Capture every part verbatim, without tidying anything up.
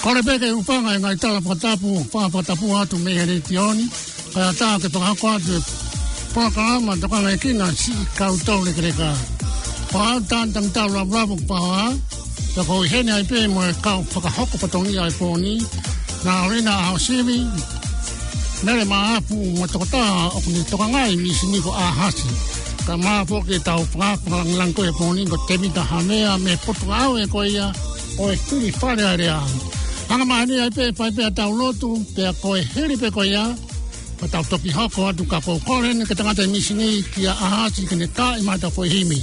ʻOku pehē ke u hūfanga he ngaahi tala fakatapu, fakatapu atu mei he Letiō ni, kae ʻatā ke fakahoko atu e polokalama Tokanga ki he Siʻi Kau Toulekeleka. Ko au Tangitau Lavulavu Paoa, pea ʻoku ou ʻi heni ai pē mo e kau fakahoko fatongia ʻo e pō ni, Naulina ʻAhosivi, Mele Maʻafu mo e tokotaha ʻoku ne tokangaʻi e mīsini ko ʻAhasi. Kae ʻumaʻā foki ʻetau fakafofonga lāngilangi ko ē he pō ni ko Tēvita Havea mei he potungāue ko ia ʻo e Fili Fale Alea. Hanga mai eni ai pē ʻo fai pē ʻetau lotu, pea ko e hili pē ko ia, pea tau toki hoko atu ka ʻoku ou kole eni ki he tangata mīsini kia ʻAhasi ke ne taaʻi mai ʻetau foʻi himi.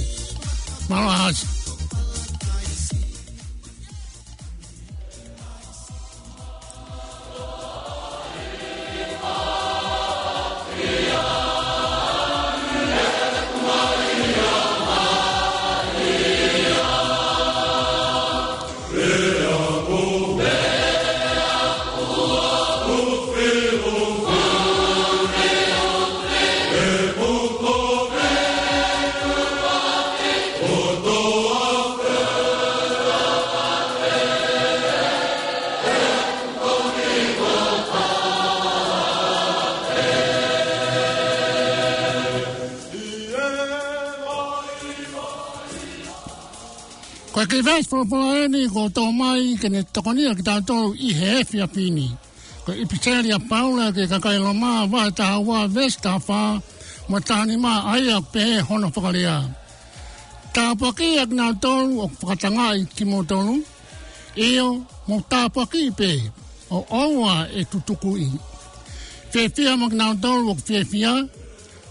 Mālō ʻAhasi. Ko e kiʻi veesi folofola eni kuo tō mai ke ne tokonia kitautolu ʻi he efiafi ni. Ko e ʻipiseli ʻa Paula ki he kakai Loma, vahe taha ua, veesi taha fā mo e taha nima, ʻa ia ʻoku pehē hono fakalea: Tāpuakiʻi ʻa kinautolu ʻoku fakatangaʻi kimoutolu, ʻio, mou tāpuakiʻi pē ʻo ʻoua ʻe tutukuʻi. Fiefia mo kinautolu ʻoku fiefia,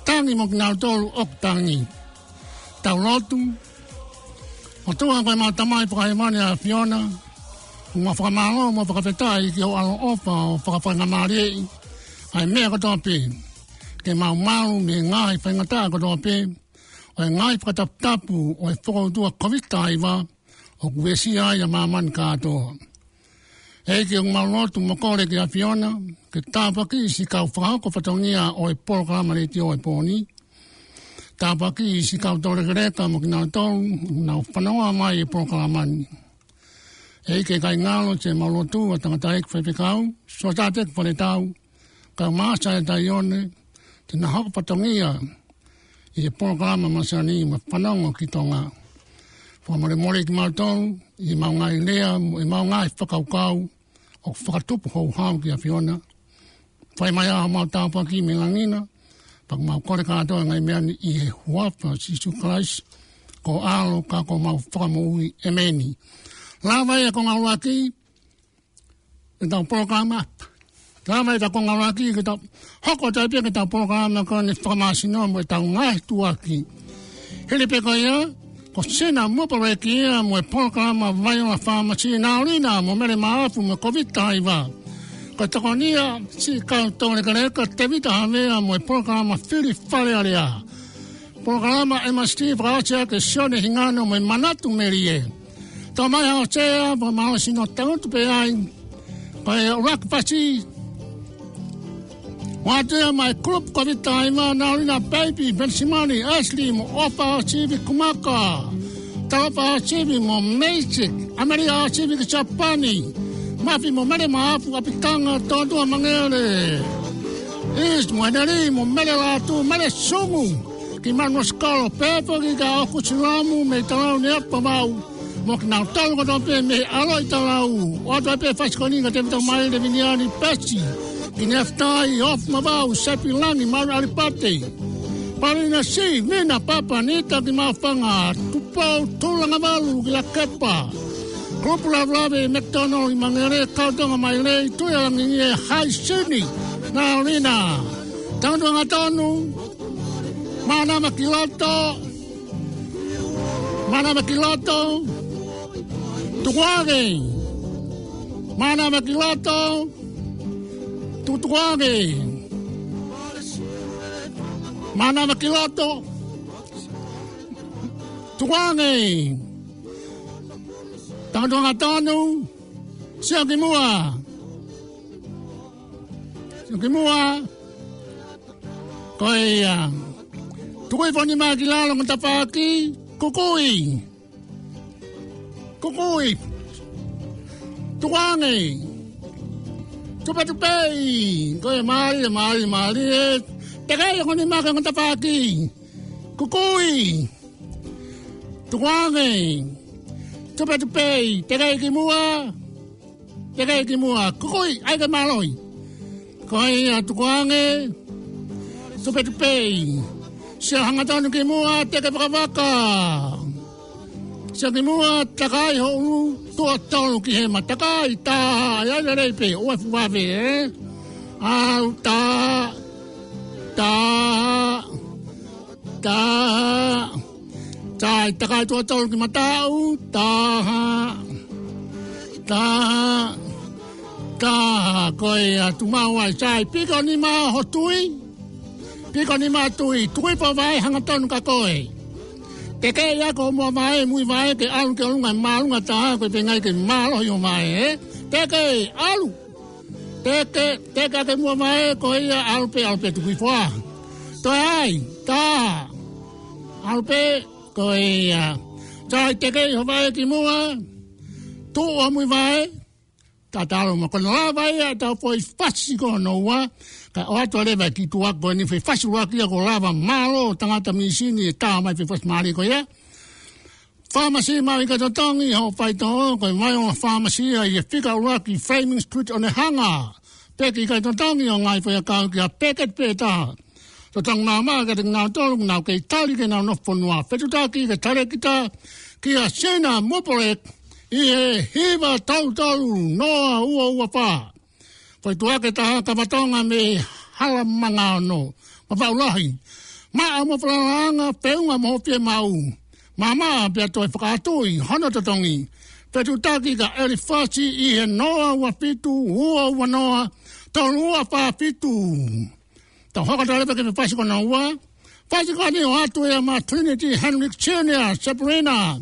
tangi mo kinautolu ʻoku tangi. Tau lotu. ʻOtua ko ʻemau Tamai Fakahēvani ʻa e ʻAfiona, ʻoku mau fakamālō mo fakafetaʻi ki hoʻo ʻaloʻofa ʻo fakafaingamālieʻi ʻa e meʻa kotoa pē, ke mau malu mei he ngaahi faingataʻa kotoa pē, ʻo e ngaahi fakataputapu ʻo e fokoutua Kōviti taha hiva, ʻoku uesia ai ʻa māmani kātoa. ʻEiki, ʻoku mau lotu mo kole ki he ʻAfiona ke tāpuakiʻi siʻi kau fakahoko fatongia ʻo e polokalama letiō ʻo e pō ni. Tāpuakiʻi siʻi kau toulekeleka mo kinautolu ʻoku nau fanongo mai he polokalama ni. ʻEiki, ʻikai ngalo, te mau lotua ʻa Tangataʻeiki Faifekau Siotateki Faletau, kae ʻumaʻā ʻa Saeta Ione, te na hoko fatongia ʻi he polokalama Masani mo e Fanongo ki Tonga. Fakamolemole kimautolu ʻi heʻemau ngaahi lea mo ʻemau ngaahi fakakaukau ʻoku fakatupu houhau ki he ʻAfiona. Fai mai ā homau tāpuaki mei langi na, pea ʻoku mau kole kātoa e ngaahi meʻa ni ʻi he huafa ʻo Sīsū Kalaisi, ko ho ʻAlo ka ko homau Fakamoʻui. ʻEmeni. Lava ia ko e ngāue ki ʻetau polokalama. Lava ʻetau konga ʻuluaki ke tau hoko atu ai pē ki heʻetau polokalama ko eni fakamāsino mo ʻetau ngaahi tuʻuaki. Hili pē ko ia, ko Sina Muparekia mo e polokalama Vaiola Fāmasi, Naulina mo Mele Maʻafu mo e Kōviti taha hiva. Ko e tokonia siʻi kau toulekeleka Tēvita Havea mo e polokalama Fili Fale Alea. Polokalama M S T fakaʻosi ʻaki ʻe Sione Hingano mo e Manatu Melie. Tau mai ha ʻosi ʻa e fakamālohisino tangutu pē ai. Ko e ʻuluaki pasi. Ua atu ia mei he kulupu Kōviti taha hiva, Naulina Peipi Venisimani, Ashley mo ʻOfa ʻAhosivi Kumaka. Talofa ʻAhosivi mo Meisik, ʻAmelia ʻAhosivi ki Siapani. Mafi mo Mele Maʻafu ʻApitanga, Toʻotua Mangele. Is mo Heneli mo Mele Lātū, Mele Sungu ki Manuasikolo, pea foki kia ʻOkusilamu mei Talau Neapavau, mo kinautolu kotoa pē mei he ʻAlo ʻi Talau. ʻOatu ai pē e fasi ko eni kia Tēvita Maile, Viniani Pesi ki Neafitai, Ofu Mavau, Sepi Langi, Malu ʻAlipate, Palina Sivina, Papa Nita ki Maʻufanga, Tupou Tulangavalu ki Lakepa, Kulupu Lavelave, McDonald ʻi Mangere, Kautonga Maile, Tuʻi ʻa Langi ʻi he Haisini, Naulina. Tangutu angatonu, Mānava ki Loto, Mānava ki Loto, Tukuange, Mānava ki Loto, Tukuange, Mānava ki Loto, Tukuange. Tangutu angatonu, sio ki muʻa. Sio ki muʻa. Ko ia. Tuku e foʻi nima ki lalo mo tafaʻaki. Kukui. Kukui. Tukuange. Tupetupe. Ko e mālie, mālie, mālie. Teke ia ko eni maʻa e ongo tafaʻaki. Kukui. Tukuange. Tupetupe. Teke ki muʻa. Teke ki muʻa. Kukui. ʻAi ke mālohi. Ko ia tukuange. Tupetupe. Sio hangatonu ki muʻa, teke vakavaka. Sio ki muʻa, takai ho ʻulu, tuʻo tolu ki hema, takai, taha, ʻai lelei pē, ʻoua ʻe fuʻu vave, ē? ʻAlu, taha, taha, taha, taha, takai tuʻo tolu ki mataʻu, taha, taha, taha, ko ia, tuʻu maʻu ai, sai, piko nima ho tui, piko nima tui, tui pō vaʻe hangatonu kia koe. Teke ia ko muʻa vaʻe, mui vaʻe, ke ʻalu ki ʻolunga, māʻolunga taha, ko e feinga ke mālohi ho vaʻe, ē? Teke, ʻalu. Teke, teke ke muʻa vaʻe, ko ia, ʻalu pē, ʻalu pē tuku hifo ā. Toe ʻai, taha. ʻAlu pē, ko ia. Sai, teke ho vaʻe ki muʻa. Tuʻu ʻo mui vaʻe. Tatalo mo ko e lava ia ʻetau foʻi fasi ko hono ua, kae ʻoatu leva ki tuʻa ko eni foʻi fasi ʻuluaki ia ko e lava mālō tangata mīsini ʻe tā mai foʻi fasi mālie ko ia. Fāmasi maʻu ʻikai totongi hoʻo faitoʻo, ko e Vaiʻoa Fāmasi ia ʻi he fika ʻuluaki Fleming Street ʻOnehunga. Peki ʻikai totongi ʻo ngaahi foʻi ʻakau ki ha peketi pē ʻe taha. Totongi maʻamaʻa kiate kinautolu ʻoku nau kei tali ke nau nofo fonua. Fetuʻutaki ki he talēkita kia Sina Mopolek ʻi he hiva tolu tolu noa ua ua fā. Foʻi tuʻa ʻe taha, kava Tonga mei Halamanga Ono. Mavaʻu lahi. Maʻa mo falalaʻanga, feʻunga mo hoʻo fiemaʻu. Maʻamaʻa pea toe fakaʻatuʻi hono totongi. Fetuʻutaki kia ʻElifasi ʻi he noa ua fitu, ua ua noa, tolu ua fā fitu. Tau hoko atu leva ki he fasi ko hono ua. Fasi ko eni ʻoatu ia maʻa Trinity Henrik Junior, Sabrina.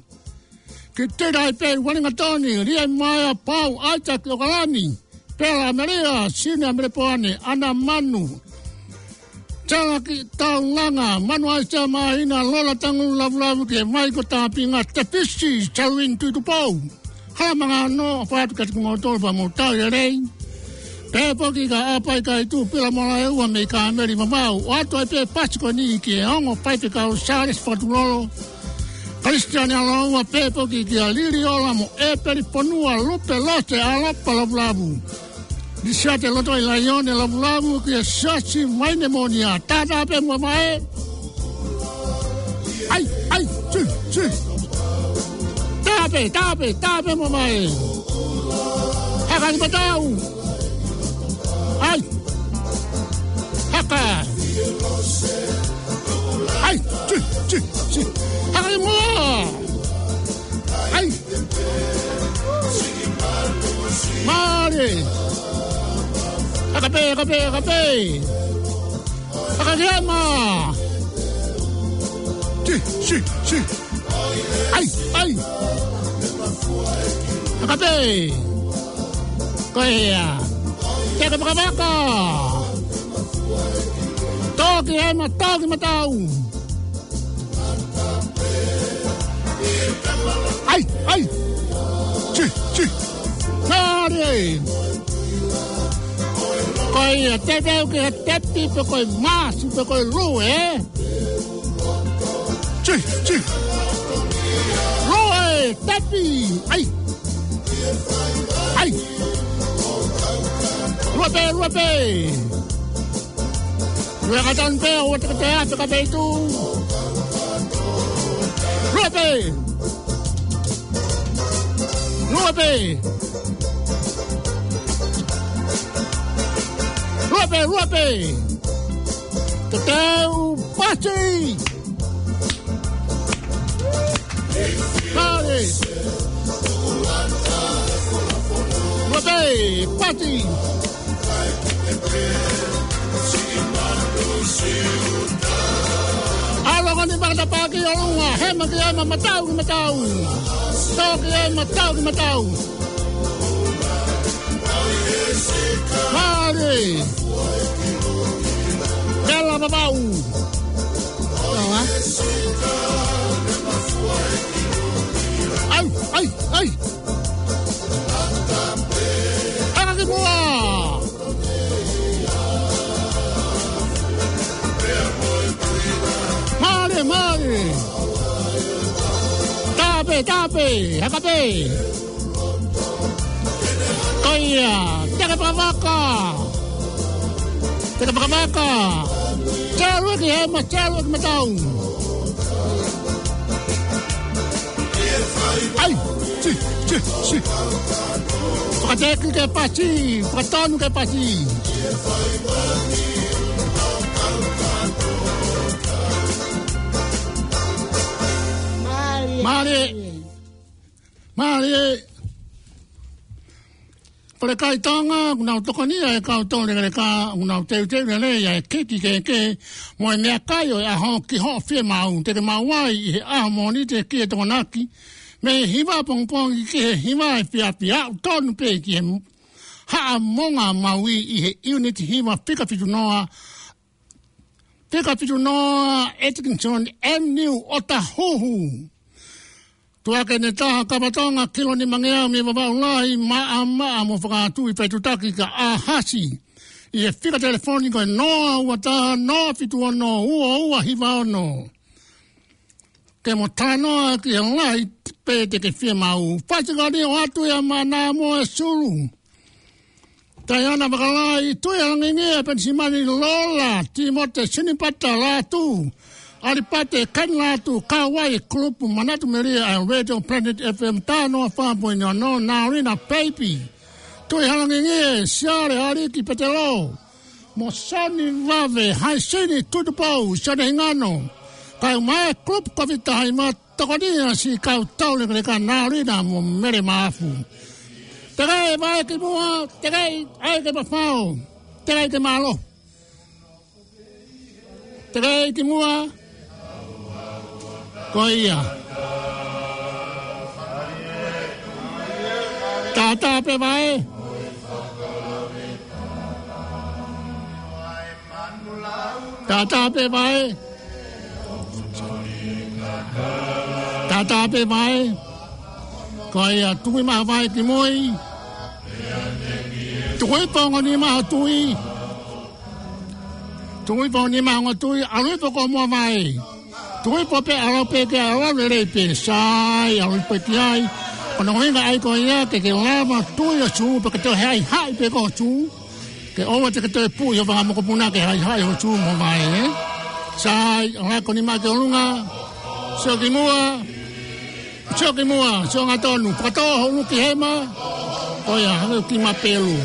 Ki Tētai Pei, Uelingatoni, Liai Maea, Pau, Isaac ʻOkalani, Pela Amelia, Sina Melepoane, ʻAna Manu, Talaki Taulanga, Manu Aisea Māhina, Lola Tangu Lavulavu, ki he Maiko Tāpinga, Tefisi, Salvin Tuitupou. Halamanga Ono, ʻofa atu kiate kimoutolu pea mou tau lelei. Pehē foki kia ʻApai Kaitū, Pila Molaeua mei Kāmeli Vavau. ʻOatu ai pē fasi ko eni ki he ongo faifekau Sālesi Fakatulolo, Kalisitiane Aloua, pehē foki kia Liliola mo ʻEpeli Fonua, Lupe Lose, ʻAlapa Lavulavu, Lisiate Lotoʻi Laione Lavulavu, kia Siasi Maine Monia. Taha taha pē muʻa vaʻe. ʻAi, ʻai, sui, sui. Taha pē, taha pē, taha pē muʻa vaʻe. Haka ki mataʻu. ʻAi. Haka. ʻAi, sui, sui, sui. Haka ki muʻa. ʻAi. Mālie. Haka pē, haka pē, haka pē. Haka ki hema. Sui, sui, sui. ʻAi, ʻai. Haka pē. Ko ia. Teke vakavaka. Tō ki hema, tō ki mataʻu. ʻAi, ʻai. Sui, sui. Mālie. Ko ia, teuteu ki he tepi pe ko e māsi pe ko e lue, ē? Sui, sui. Lue, tepi. ʻAi. ʻAi. Lue pē, lue pē. Lue hangatonu pē, ʻoua te ke teʻa, te ke peitu. Lue pē. Lue pē. Lue pē, lue pē. Teuteu pasi. Mālie. Lue pē, pasi. ʻAlu ko eni fakatapaʻaki ʻolunga, hema ki hema, mataʻu ki mataʻu. Tō ki hema, tō ki mataʻu. Mālie. Pela Vavau. ʻAi, ʻai, ʻai. Haka ki muʻa. E tape, haka pē. Ko ia, teka pakavaka. Teka pakavaka. Telu ki hema, telu ki matau. Ai, si, si, si. Fakateki ke pasi, fakatonu ke pasi. Mālie. Mālie. Falekai Tonga, ʻoku nau tokoni ʻa e kau tau lekaleka, ʻoku nau teuteu lelei ʻa e kiki kehekehe, mo e meʻakai ʻo e ʻaho ki hoʻo fiemaʻu, te ke maʻu ai ʻi he ʻaho Mōnite ki he Tokonaki, mei he hiva pongipongi ki he hiva efiafi, ʻoku tonu pē ki he Haʻamonga Maui ʻi he ʻiuniti hiva fika fitu noa, fika fitu noa Atkinson Avenue ʻOtahuhu. Tuʻa ʻeni taha kapa Tonga kilo nimangeau mei Vavaʻu Lahi, maʻamaʻa mo fakatui faitutaki ka ʻahasi. ʻI he fika telefoni ko e noa ua taha, noa fitu ono, ua ua hiva ono. Ke mo talanoa ki he lahi pē te ke fiemaʻu. Fasikali ʻo atu ia mana mo e sulu. Taiana Vakalai, Tui Halangingie, Penisimani Lola, Timote Sinipata Lātū, ʻAlipate Ken Lātū, Kauai Group, Manatu Melie, ʻa e Radio Planet F M taha noa fā poini ono, Naulina Peipi, Tui Halangingie, Siale Aliki Petelo, mo Soni Vave, Haisini Tutupou, Sone Hingano, Kauai Group, Kovita Haima, Tokoni ʻa siʻi kau tau lekaleka Naulina mo Mele Mafu. Teʻeki ai vae ki muʻa, teʻeki ai ke mafao, teʻeki ai ke mālō. Teʻeki ai ki muʻa, ko ia. Tātā pē vae. Tātā pē vae. Tātā pē vae. Ko ia, tuku mai ha vae ki mui. Tuku hifo ha ongo nima ʻo tui. Tuku hifo ha ongo nima ʻo tui. ʻAlu hifo ko muʻa vae. Tuku hifo pē, ʻalu pē ke ʻalu lelei pē. Sai, ʻalu hifo ki ai. Ko hono ʻuhinga ʻa ia ko ia ke ke lava tui ʻo sū, pea ke toe haʻihaʻi pē ko e sū. Ke ʻoua te ke toe puʻi ho fanga mokopuna ke haʻihaʻi ho sū mo vae, ē? Sai, ʻalu ko e nima ki ʻolunga. Sio ki muʻa. Sio ki muʻa, sio hangatonu. Fakatō ho ʻulu ki hema. Ko ia, hangē ko e kiʻi mapelu.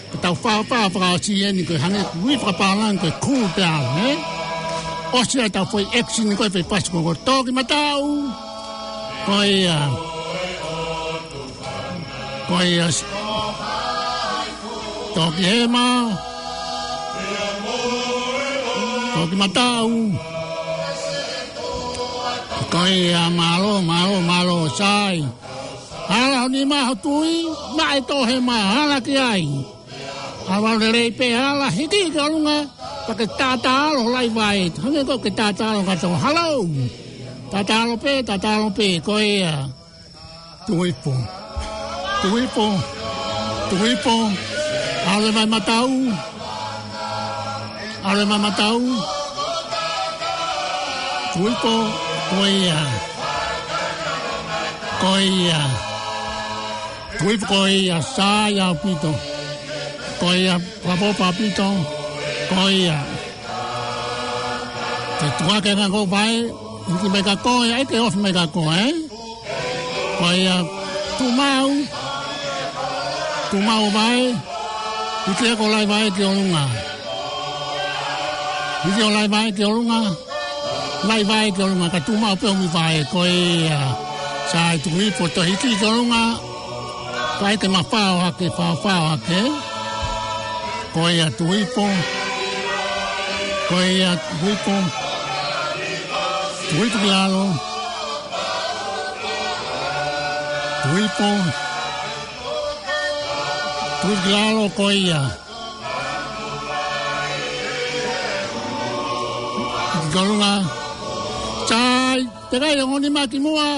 Ko ʻetau fāfā fakaʻosi ʻeni ko e hangē ko e ui fakapālangi ko e cool down, ē? ʻOsi ʻetau foʻi action ko e foʻi fasi ko ē. Tō ki mataʻu. Ko ia. Ko ia. Tō ki hema. Tō ki mataʻu. Ko ia, mālō, mālō, mālō, sai. Hala ho nima ʻo tui, maʻe tō hema, hala ki ai. ʻAlu lelei pē, hala hiki ki ʻolunga, pea ke tātā ʻalu lahi vae. Hangē ko e ke tātā ʻalu ka tō, halo. Tātā ʻalu pē, tātā ʻalu pē, ko ia. Tuku hifo. Tuku hifo. Tuku hifo. ʻAlu mai mataʻu. ʻAlu mai mataʻu. Tuku hifo. Ko ia. Ko ia. Tuku hifo ko ia. Sai ʻaupito. Ko ia. Papo papito. Ko ia. Ke tuʻa ke ngako vae, hiki mai ka ko e, ʻai ke ofi mai ka ko e. Ko ia, tuʻu maʻu, tuʻu maʻu vae, hiki ko e lahi vae ki ʻolunga. Hiki ko e lahi vae ki ʻolunga, lahi vae ki ʻolunga, ka tuʻu maʻu pē ʻo ʻomi vae, ko ia. Sai tuku hifo tō hiki ki ʻolunga, ʻai ke mafao hake, faofao hake. Ko ia tuku hifo. Ko ia tuku hifo. Tuku hifo ki lalo. Tuku hifo. Tuku hifo ki lalo ko ia. Ki ʻolunga. Sai, teʻeki ai ongo nima ki muʻa.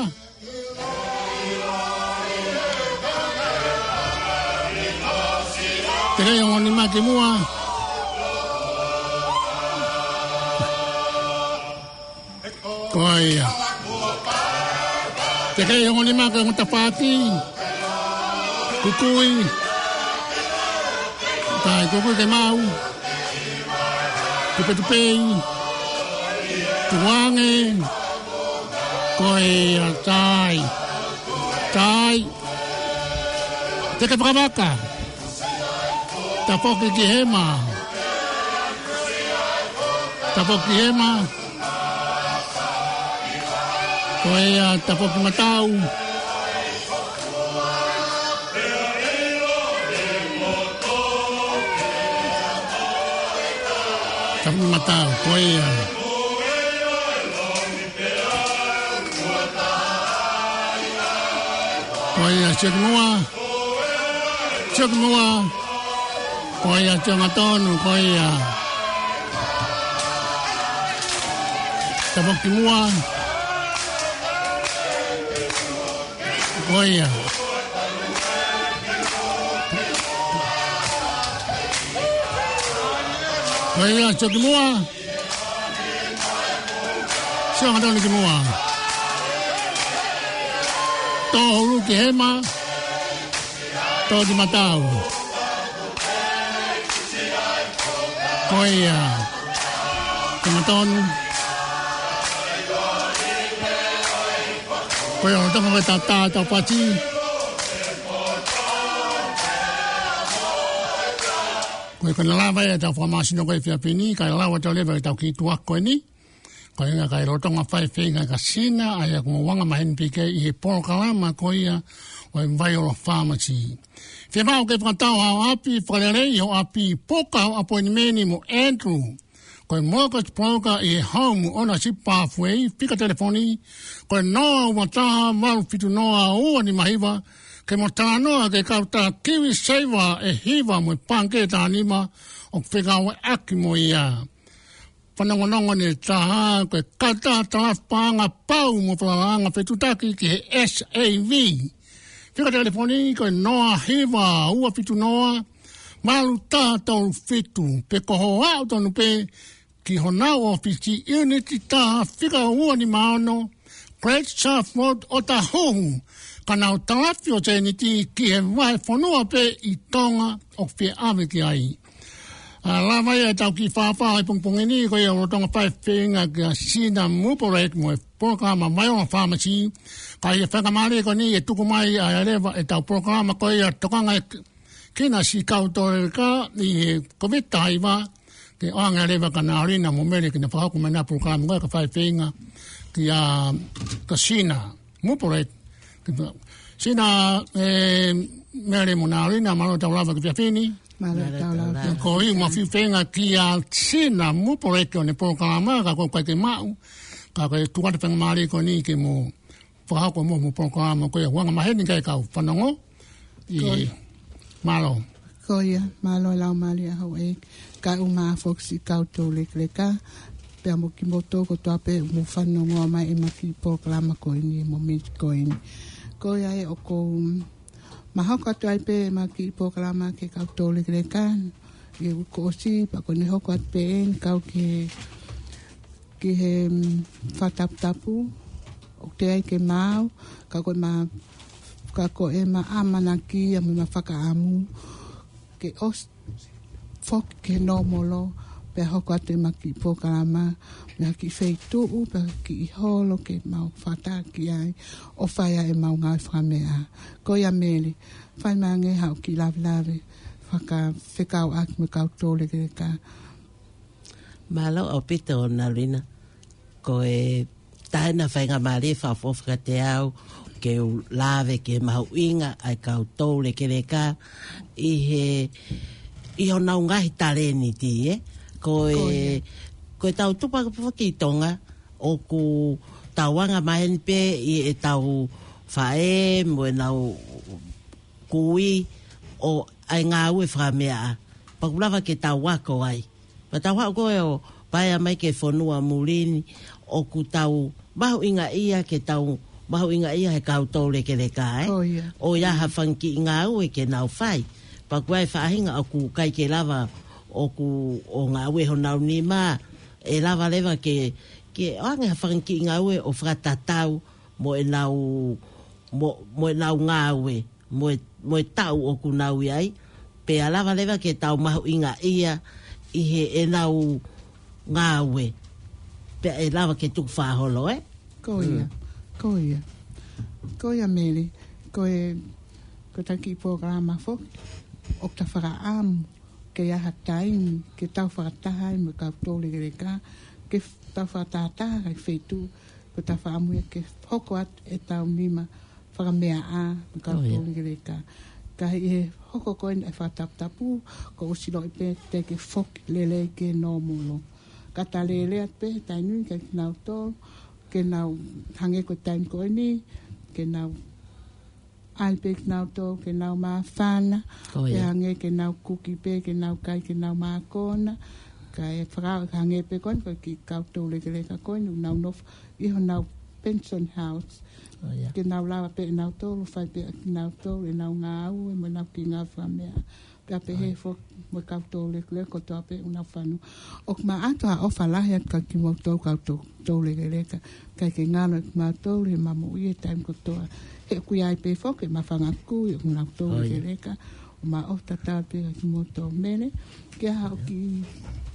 Teʻeki ai ongo nima ki muʻa. Ko ia. Te kei ongo nima ke ongo tafati. Kukui. Tai kukui ke mau. Tupetupei. Tuange. Ko ia tai. Tai. Te ke fakavaka. Tafoki ki hema. Tafoki ki hema. Ko ia tafoki matau. Tafoki matau, ko ia. Ko ia, sio ki muʻa. Sio ki muʻa. Ko ia, sio ngatonu, ko ia. Tafoki muʻa. Ko ia. Ko ia, sio ki muʻa. Sio ngatonu ki muʻa. Tō hulu ki hema. Tō ki matau. Ko ia. Ko ngatonu. Ko ia, ʻo tama ko e tata, tau pati. Ko ia, ko e lava ia ʻetau fakamāsino ko e efiafi ni, kae lava atu leva ʻetau kiʻi tuʻa ko eni. Ko ia, kae lolotonga fai feinga kia Sina, ʻa ia ʻoku mou anga maheni pē ki ai ʻi he polokalama ko ia ʻo e Viola Pharmacy. Fiemaʻu ke fakatau haʻo ʻapi, fakalelei hoʻo ʻapi, puka hoʻo ʻapoinimeni mo Andrew. Ko e mortgage broker ʻi he Home Ownership Pathway, fika telefoni, ko e noa ua taha, valu fitu noa, ua nima hiva, ke mo talanoa ki he kautaha KiwiSaver ʻe hiva mo e pangikē taha nima ʻoku fekauʻaki mo ia. Fanongonongo ʻe taha, ko e kautaha talafi paʻanga pau mo falalaʻanga fetuʻutaki ki he S A V. Fika telefoni ko e noa hiva ua fitu noa, valu taha tolu fitu, pe ko hoʻo aʻu tonu pē ki honau ʻōfisi, ʻiuniti taha, fika ua nima ono, Great South Road, Otahuhu, ka nau talafi ʻo sēniti ki he vahefonua pē ʻi Tonga ʻoku fie ʻave ki ai. ʻA, lava ia ʻetau kiʻi fāfā ʻi he pongipongi ni, ko ia ʻoku lolotonga fai feinga kia Sina Mupolek mo e polokalama Viola Pharmacy, ka ʻi he faingamālie ko eni ʻe tuku mai ʻa e leva ʻetau polokalama ko ia tokanga ʻe kina siʻi kau tōlekā ʻi he Covid taha hiva, ke ʻoange leva kia Nalina mo Mele ke na fakahoko mai ʻena polokalama ko ia ka fai feinga kia, kia Sina Mupolek. Sina, ʻe, Mele mo Nalina, mālō ʻetau lava ki he efiafi ni. Mālō ʻetau lava. Ko ia ʻoku ma fie feinga kia Sina Mupolek ʻo ne polokalama, ka ko e ʻikai ke maʻu, ka ko e tuku atu e faingamālie ko eni ke mo fakahoko mo, mo polokalama ko ia, ʻoku anga maheni ki he kau fanongo. ʻI, mālō. Ko ia, mālō e laumālie ʻa houʻeiki, kae ʻumaʻā foki siʻi kau tōlekeleka, pea mo kimoutolu kotoa pē ʻoku mou fanongo mai ʻi he kiʻi polokalama ko eni, mo miti ko eni. Ko ia ʻe ʻoku ou, mm, ma hoko atu ai pē ʻema kiʻi polokalama ki he kau tōlekeleka, ʻi he uike kuo ʻosi, pea ko ʻene hoko atu pē eni kau ki he ki he, mm, fakataputapu, ʻoku teʻeki ai ke maau, ka ko ʻema, ka ko ʻema ʻamanaki ia mo ʻema fakaʻamu, ke ʻosi foki ki he nōmolo, pea hoko atu ʻema kiʻi polokalama, mei ha kiʻi feituʻu, pea kiʻi holo ke mau fakataha ki ai, ʻo fai ai ʻemau ngāue fakameʻa. Ko ia Mele, fai mai angē haʻo kiʻi lavelave, fakafekauʻaki mo e kau tōlekeleka. Mālō ʻaupito Nalina. Ko e taha ʻena faingamālie fakaʻofoʻofa kiate au ke u lave ki he mahuʻinga ʻa e kau tōlekeleka ʻi he, ʻi honau ngaahi talēniti, ē? Ko e, ko ia. Ko e tau tupa ka papa ki Tonga, ʻoku tau anga maheni pē ʻi heʻetau faʻē mo ʻenau kui ʻo ʻai ngāue fakameʻa. Pea ʻoku lava ke tau ako ai. Pea tau haʻu ko ē ʻo paea mai ki he fonua muli ni, ʻoku tau mahuʻingaʻia ke tau mahuʻingaʻia he kau tōlekeleka, ē? Ko ia. ʻOku ʻi ai ha fanga kiʻi ngāue ke nau fai. Pea ʻoku ʻi ai e faʻahinga ʻoku ʻikai ke lava ʻoku ʻo ngāue honau nima, ʻe lava leva ke, ke ʻoange ha fanga kiʻi ngāue ʻo fakatatau mo ʻenau mo, mo ʻenau ngāue, mo e, mo e taʻu ʻoku nau ʻi ai, pea lava leva ke tau mahuʻingaʻia ʻi heʻenau ngāue, pea ʻe lava ke tuku fakaholo, ē? Ko ia, ko ia. Ko ia, Mele, ko e, ko e taki polokalama foki, ʻoku ta fakaʻamu ke ʻi ai ha taimi ke tau fakataha ai mo e kau toulekeleka, ke f-, tau fakatahataha ai feituʻu, ko e ta fakaʻamu ia ke hoko atu ʻetau nima fakameaʻa mo e kau toulekeleka. Ka ʻi he hoko ko eni e fakataputapu, kuo ʻosi loʻi pē te ke foki lelei ke nōmolo. Ka ta lele atu pē he taimi ni kia kinautolu, ke nau hangē ko e taimi ko eni, ke nau ʻai pē kinautolu ke nau māfana, pea hangē ke nau kuki pē, ke nau kai, ke nau mākona. Ka e faka-, hangē pē ko eni, ko e kiʻi kau toulekeleka ko eni, nau nofo ʻi honau pension house. Ke nau lava pē ʻe nautolu, fai pē ʻe nautolu ʻenau ngāue, mo ʻenau kiʻi ngāue fakameaʻa. Pea pehē foki mo e kau toulekeleka kotoa pē ʻoku nau fanongo. ʻOku ma ʻoatu ha ʻofa lahi atu kia kimoutolu kau tou-, toulekeleka. ʻIkai ke ngalo ʻe kimautolu he ma moʻui he taimi kotoa. He ʻoku ʻi ai pē foki ʻema fanga kui ʻoku nau toulekeleka. ʻO ma ʻofa tatau pē kia kimoutolu, Mele. Ke ʻai haʻo kiʻi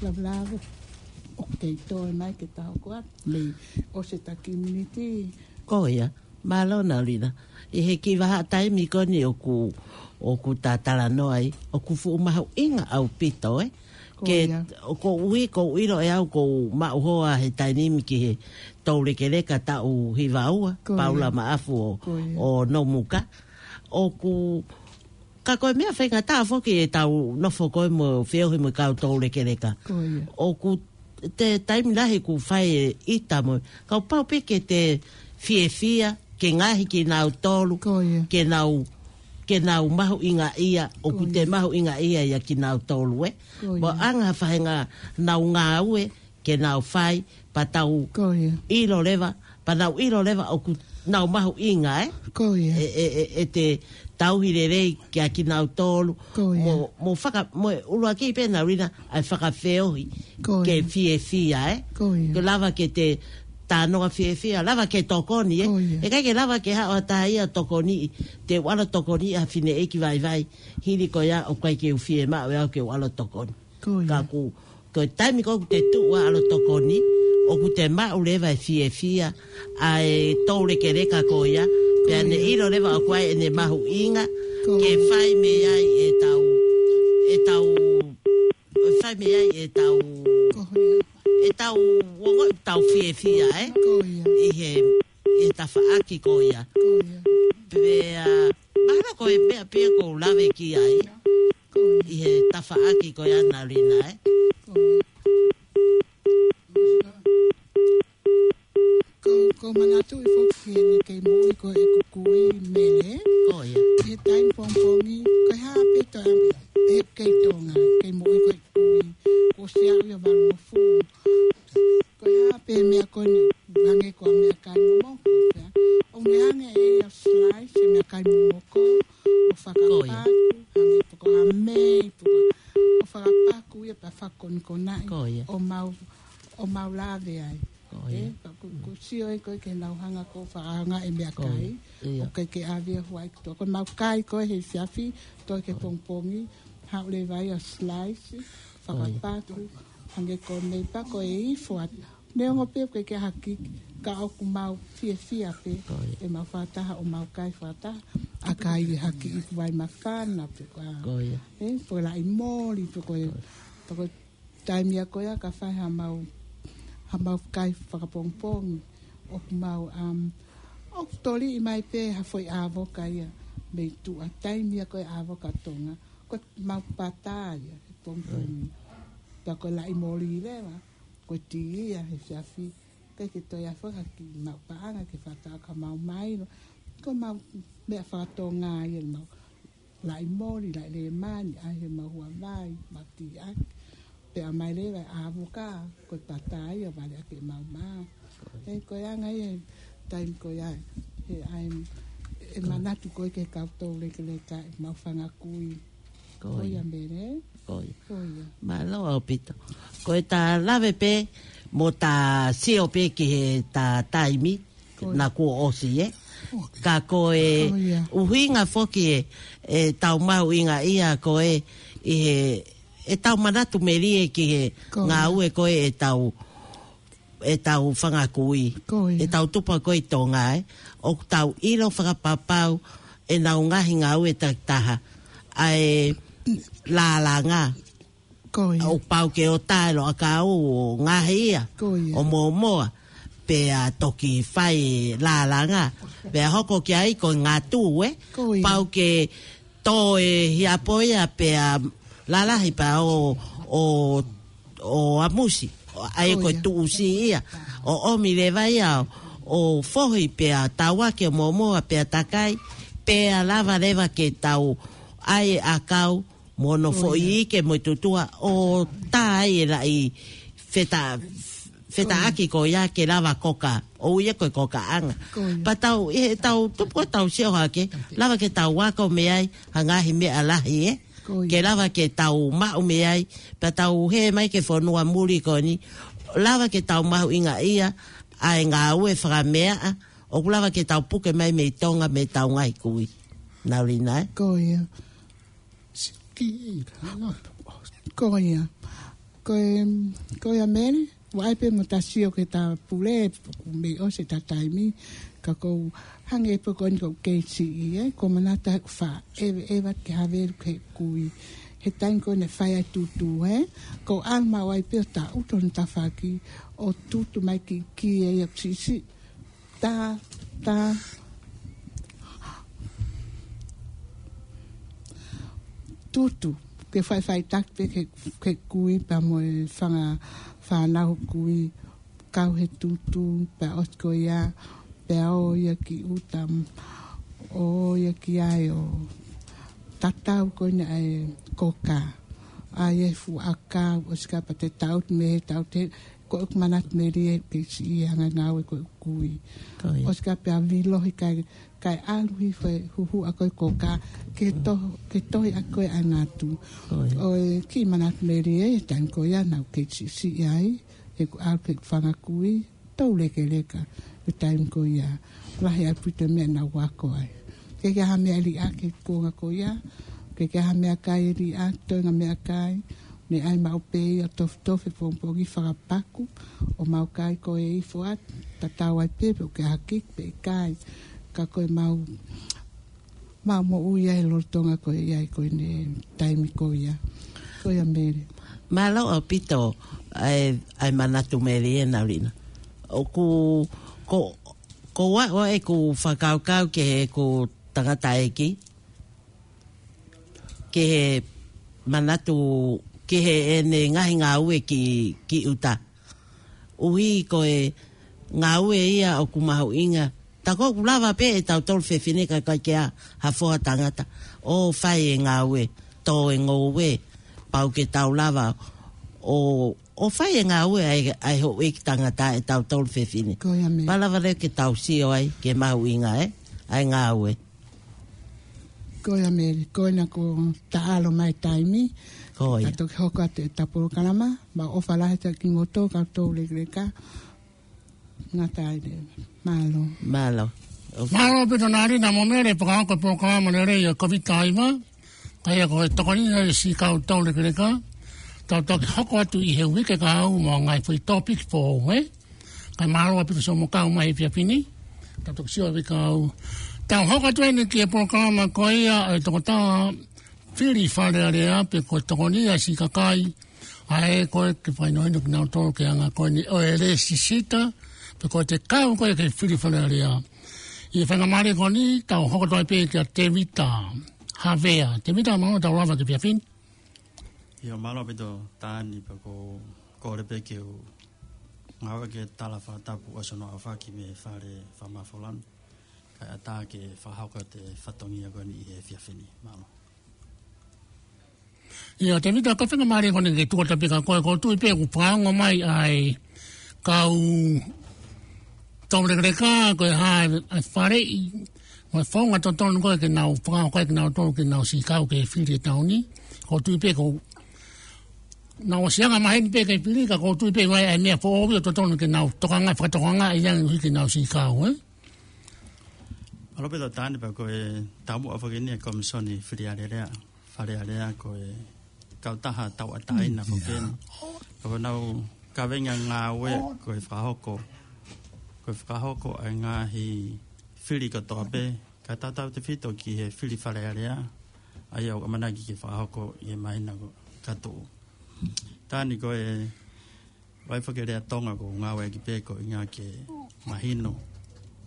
lavalava. ʻOku kei toe mai ke ta hoko atu. Mei ʻosi e taki miniti. Ko ia. Mālō Naulina. ʻI he kiʻi vahaʻa taimi ko eni ʻoku, ʻoku ta talanoa ai, ʻoku fuʻu mahuʻinga ʻaupito, ē? Ko ia. Ke, ʻoku ou ʻi, ʻoku ou ʻilo ʻe au ʻoku ou maʻu hoa he taimi ni ki he toulekeleka taʻu hiva ua, Paula Maʻafu ʻo, ʻo Nomuka. ʻOku Ka ko e meʻa faingataʻa foki ʻetau nofo ko ē mo feohi mo e kau toulekeleka. Ko ia. ʻOku te taimi lahi ʻoku fai e ʻita mo, kapau pē ke te fiefia, ke ngaohi kinautolu, Ko ia. ke nau, ke nau mahuʻingaʻia, ʻoku Ko te ia. mahuʻingaʻia ia kinautolu, ē. Ko ia. Mo anga ha faʻahinga nau ngāue, ke nau fai, pea tau Ko ia. ʻilo leva, pea nau ʻilo leva ʻoku nau mahuʻinga, ē? Ko ia. ʻE, ʻe, ʻe, ʻe te tauhi lelei kia kinautolu. Ko ia. Mo, mo faka-, mo e ʻuluaki pē Naulina ʻa e fakafeohi Ko ke ia. fiefia, ē? Ko ia. Ke lava ke te talanoa fiefia, lava ke tokoni, ē? Ko ia. ʻIkai ke lava ke haʻu ha taha ia tokoni, te u ʻalu ʻo tokoniʻi ha fineʻeiki vaivai, hili ko ia ʻoku ʻikai ke u fiemaʻu ʻe au ke u ʻalu ʻo tokoni. Ko ia. Ka ʻoku Ko e taimi ko ē ʻoku te tuʻu ʻo ʻalu ʻo tokoni, ʻoku te maʻu leva e fiefia ʻa e toulekeleka ko ia, pea Ko ne ia. ʻilo leva ʻoku ʻi ai ʻene mahuʻinga, Ko ke ia. fai mei ai ʻetau, ʻetau, fai mei ai ʻetau, Ko ia. ʻetau ongoʻi ʻetau fiefia, ē? Ko ia. ʻI he, ʻi he tafaʻaki ko ia. Ko ia. Pea, mahalo ko e meʻa pē ia ʻoku ou lave ki ai. Ko ia. ʻI he tafaʻaki ko ia Naulina, ē? Ko ia. Ko, ʻoku ou manatuʻi foki ʻene kei moʻui ko ē ʻeku kui Mele. Ko ia. ʻI he taimi pongipongi, ko e hā pē toe ʻami, ʻe kei Tonga, kei moʻui ko ē ʻeku kui. Kuo ʻosi aʻu ia valungofulu. Ko e hā pē meʻa ko eni, hangē ko e meʻakai momoko, pea ʻoku ne hanga ʻe ia ʻo slice e meʻakai momoko, ʻo Ko ia. fakapaku, hangē pē ko ha mei, pē ko, ʻo fakapaku ia pea fakakonikonaʻi, Ko ia. ʻo mau, ʻo mau lave ai. Ko ia. Ē, pea ʻoku, ʻoku sio ē ko ē ke nau hanga ʻo fakaanga e meʻakai, Ko ia. ʻoku ʻikai ke ʻave ia ʻo huaʻi ki tuʻa. Ko ʻemau kai ko ē he efiafi, toe ki he Ko ia. pongipongi, haʻu leva ia ʻo slice, Ko ia. fakapaku, hangē ko e mei pea ko e ifo atu. Neongo pē ʻoku ʻikai ke hakiki, ka ʻoku mau fiefia pē, Ko ia. ʻemau fakataha ʻo mau kai fakataha, ʻa e kai ʻe hakiʻi ʻeku vai māfana pē ko ā. Ko ia. Ē, pē ko e laʻi moli, pē ko e, Ko ia. pē ko e taimi ia ko ia ka fai haʻamau, haʻamau kai fakapongipongi, ʻoku mau, um, ʻoku toliʻi mai pē ha foʻi ʻāvoka ia, mei tuʻa taimi ia ko e ʻāvoka Tonga, ko ʻemau pata ia, he pongipongi. Ko ia. Pea ko e laʻi moli leva, ko e tī ia he efiafi, ʻikai ke toe ʻi ai foki ha kiʻi maʻu paʻanga ke fakataha ka mau mailo. Ko ʻemau meʻa fakatonga ia ʻemau laʻi moli, laʻi lēmani, ʻai he mau huavai, mau tī ʻaki. Pea ʻomai leva e ʻāvoka, ko e pata ia, vale ʻaki ʻemau mā. Ē, ko e anga ia, taimi ko ia, he ʻai, ʻe Ko ia. manatu ko ē ki he kau toulekeleka, ʻemau fanga kui. Ko Ko ia ia. Mele. Ko ia. Ko ia. Mālō ʻaupito. Ko ʻeta lave pē, mo ʻeta sio pē ki heʻeta taimi, Ko ia. naʻa kuo ʻosi, ē? Ka ko e ʻuhinga foki ʻetau mahuʻingaʻia ko ē ʻi he, ʻetau manatu melie ki he ngāue ko ē ʻetau, ʻetau fanga kui, ʻetau tupu ko ē ʻi Tonga, ē. ʻOku tau ʻilo fakapapau ʻenau ngaahi ngāue takitaha ʻa e lālanga. ʻOku pau ke ʻota e loʻakau ʻo ngaohi ia ʻo mōmoa, pea toki fai e lālanga, pea hoko ki ai ko e ngatu, ē. Pau ke tō e hiapo ia pea lalahi pea ʻo, ʻo, ʻo ʻamusi, ʻa ia ko e tuʻusi ia, ʻo ʻomi leva ia ʻo fohi pea tauake ʻo mōmoa pea takai, pea lava leva ke tau ʻai e ʻakau mo hono foʻi ike mo e tutua ʻo tā ai e laʻi feta-, fetaʻaki ko ia ke lava koka, ʻoku ui ia ko e kokaʻanga. Pea tau, ʻi heʻetau tupu ʻo tau sio hake, lava ke tau ako mei ai ha ngaahi meʻa lahi, ē. Ke lava ke tau maʻu mei ai, pea tau hē mai ki he fonua muli ko eni, lava ke tau mahuʻingaʻia ʻa e ngāue fakameaʻa, ʻoku lava ke tau puke mai mei Tonga mei heʻetau ngaahi kui. Naulina, ē? Ko ia. Ko ia. Ko e, ko ia Mele, ʻoku ʻi ai pē mo ʻeta sio ki heʻeta pule, mei ʻosi ʻeta taimi, ka ʻoku ou hangē pē ko eni ʻoku ou kei siʻi, ē, ʻoku ou manatu ʻoku faʻa ʻeveʻeva ke havelu ki he kui. He taimi ko ē naʻe fai ai e tutu, ē, ʻoku ou ʻalu maʻu ai pē ʻo taʻutu hono tafaʻaki, ʻo tutu mai ki, ki he ʻoku siʻisiʻi tā, tā. Tutu, ke faʻifaʻitaki pē ki he, ki he kui pea mo e fanga fānau kui, kau he tutu, pea ʻosi ko ia, pea ō ia ki ʻuta, ō ia ki ai ʻo tatau ko ena e koka. ʻAi e fuʻu ʻakau, ʻosi ko ia pea te taʻutu mei he taʻutu he, ko ʻeku manatu melie ke siʻi ʻa e ngaahi ngāue ko ē ʻoku ou kui. ʻOsi ko ia pea vilohi kae, kae ʻalu hifo e huhuʻa ko ē e koka, ke to-, ke tohi ʻaki ko ē ʻa e ngatu. ʻOku ou kiʻi manatu melie he taimi ko ia naʻa ku kei siʻisiʻi ai, he ʻoku ou ʻalu ki heʻeku fanga kui, toulekeleka, he taimi ko ia. Lahi ʻaupito e meʻa naʻa ku ako ai. ʻIkai ke ʻi ai ha meʻa liʻaki he kuonga ko ia. ʻIkai ke ʻi ai ha meʻakai liʻaki, toenga meʻakai. Naʻe ʻai maʻu pē ia ʻo tofitofi he pongipongi fakapaku. ʻO mau kai ko ē ifo atu, tatau ai pē pe ʻoku ʻi ai ha kiki pe ʻikai. Ka ko e mau mau moʻui ai he lolotonga ko ē ʻi ai ko eni he taimi ko ia. Ko ia Mele. Mālō ʻaupito ʻa e, ʻa e manatu melie ē Naulina. ʻOku, ko, ko ua, ua ʻeku fakakaukau ki heʻeku tangataʻeiki, ki he manatu, ki heʻene ngaahi ngāue ki, ki ʻuta. ʻUhi ko e ngāue ia ʻoku mahuʻinga. Tā ko ē ʻoku lava pē ʻe tautolu fefine ka ʻikai ke ʻi ai ha foha tangata ʻo fai e ngāue, tō e ngoue, pau ke tau lava ʻo, ʻo fai e ngāue ʻa e, ʻa e houʻeiki tangata ʻe tautolu fefine. Ko ia Mele. Pea lava leva ke tau sio ai ki he mahuʻinga ē, ʻa e ngāue. Ko ia Mele, ko ena kuo taʻalo mai e taimi. Ko ia. Ka toki hoko atu ʻeta polokalama, mau ʻofa lahi atu kimoutolu kau toulekeleka. Ngata ai leva. Mālō. Mālō. Mālō ʻaupito Naulina mo Mele, pea ka hoko e polokalama lelei ʻo e Koviti taha hiva, ka ia ko e tokoni ʻa e siʻi kau toulekeleka. Tau toki hoko atu ʻi he uike kahaʻu mo e ngaahi foʻi tōpiki foʻou, ē? Kae mālō ʻaupito siʻomo kau mai he efiafi ni. Tau toki sio he uike kahaʻu. Tau hoko atu eni ki he polokalama ko ia ʻa e tokotaha fili Fale Alea pe ko e tokoni ʻa e siʻi kakai. ʻA ē ko ē ke fakahinohino kinautolu ki he anga ko eni ʻo e lēsisita, pe ko e te kau ko ē ke fili Fale Alea. ʻI he faingamālie ko eni, tau hoko atu ai pē kia Tēvita Havea. Tēvita, mālō tau lava ki he efiafi ni. ʻIo, mālō ʻaupito Taani, pea ʻoku ou kole pē ke u ngāueʻaki e tala fakatapu ʻosi hono ʻaofaki mei he Fale Fakamafola ni. Kae ʻatā ke fakahoko atu e fatongia ko eni ʻi he efiafi ni. Mālō. ʻIo, Tēvita, ko e faingamālie ko eni ke tuku atu pē kia koe, ʻoku ou tui pē kuo fakaongo mai ʻa e kau toulekeleka, ko e hā e faleʻi mo e founga totonu ko ē ke nau fakahoko ai kinautolu ke nau siʻi kau ke fili e taʻu ni. ʻOku ou tui pē kuo nau ʻosi anga maheni pē ke fili, ka ʻoku ou tui pē ʻoku ʻi ai e meʻa foʻou ʻoku totonu ke nau tokanga, fakatokangaʻi ange ʻuhi ke nau siʻi kau, ē? ʻAlope Toketā, pea ko e taumuʻa foki eni ʻa e Komisoni Fili Alea, Fale Alea, ko e kautaha tauʻatāina foki eni. Ka ko honau kaveinga ngāue ko e fakahoko, ko e fakahoko ʻa e ngaahi fili kotoa pē, kae tautautefito ki he fili Fale Alea, ʻa ia ʻoku ʻamanaki ke fakahoko ʻi he māhina ko ē ka tuʻu. Toketā, ko e ʻai foki e lea Tonga ko e ngāueʻaki pē ko e ʻuhinga ke mahino,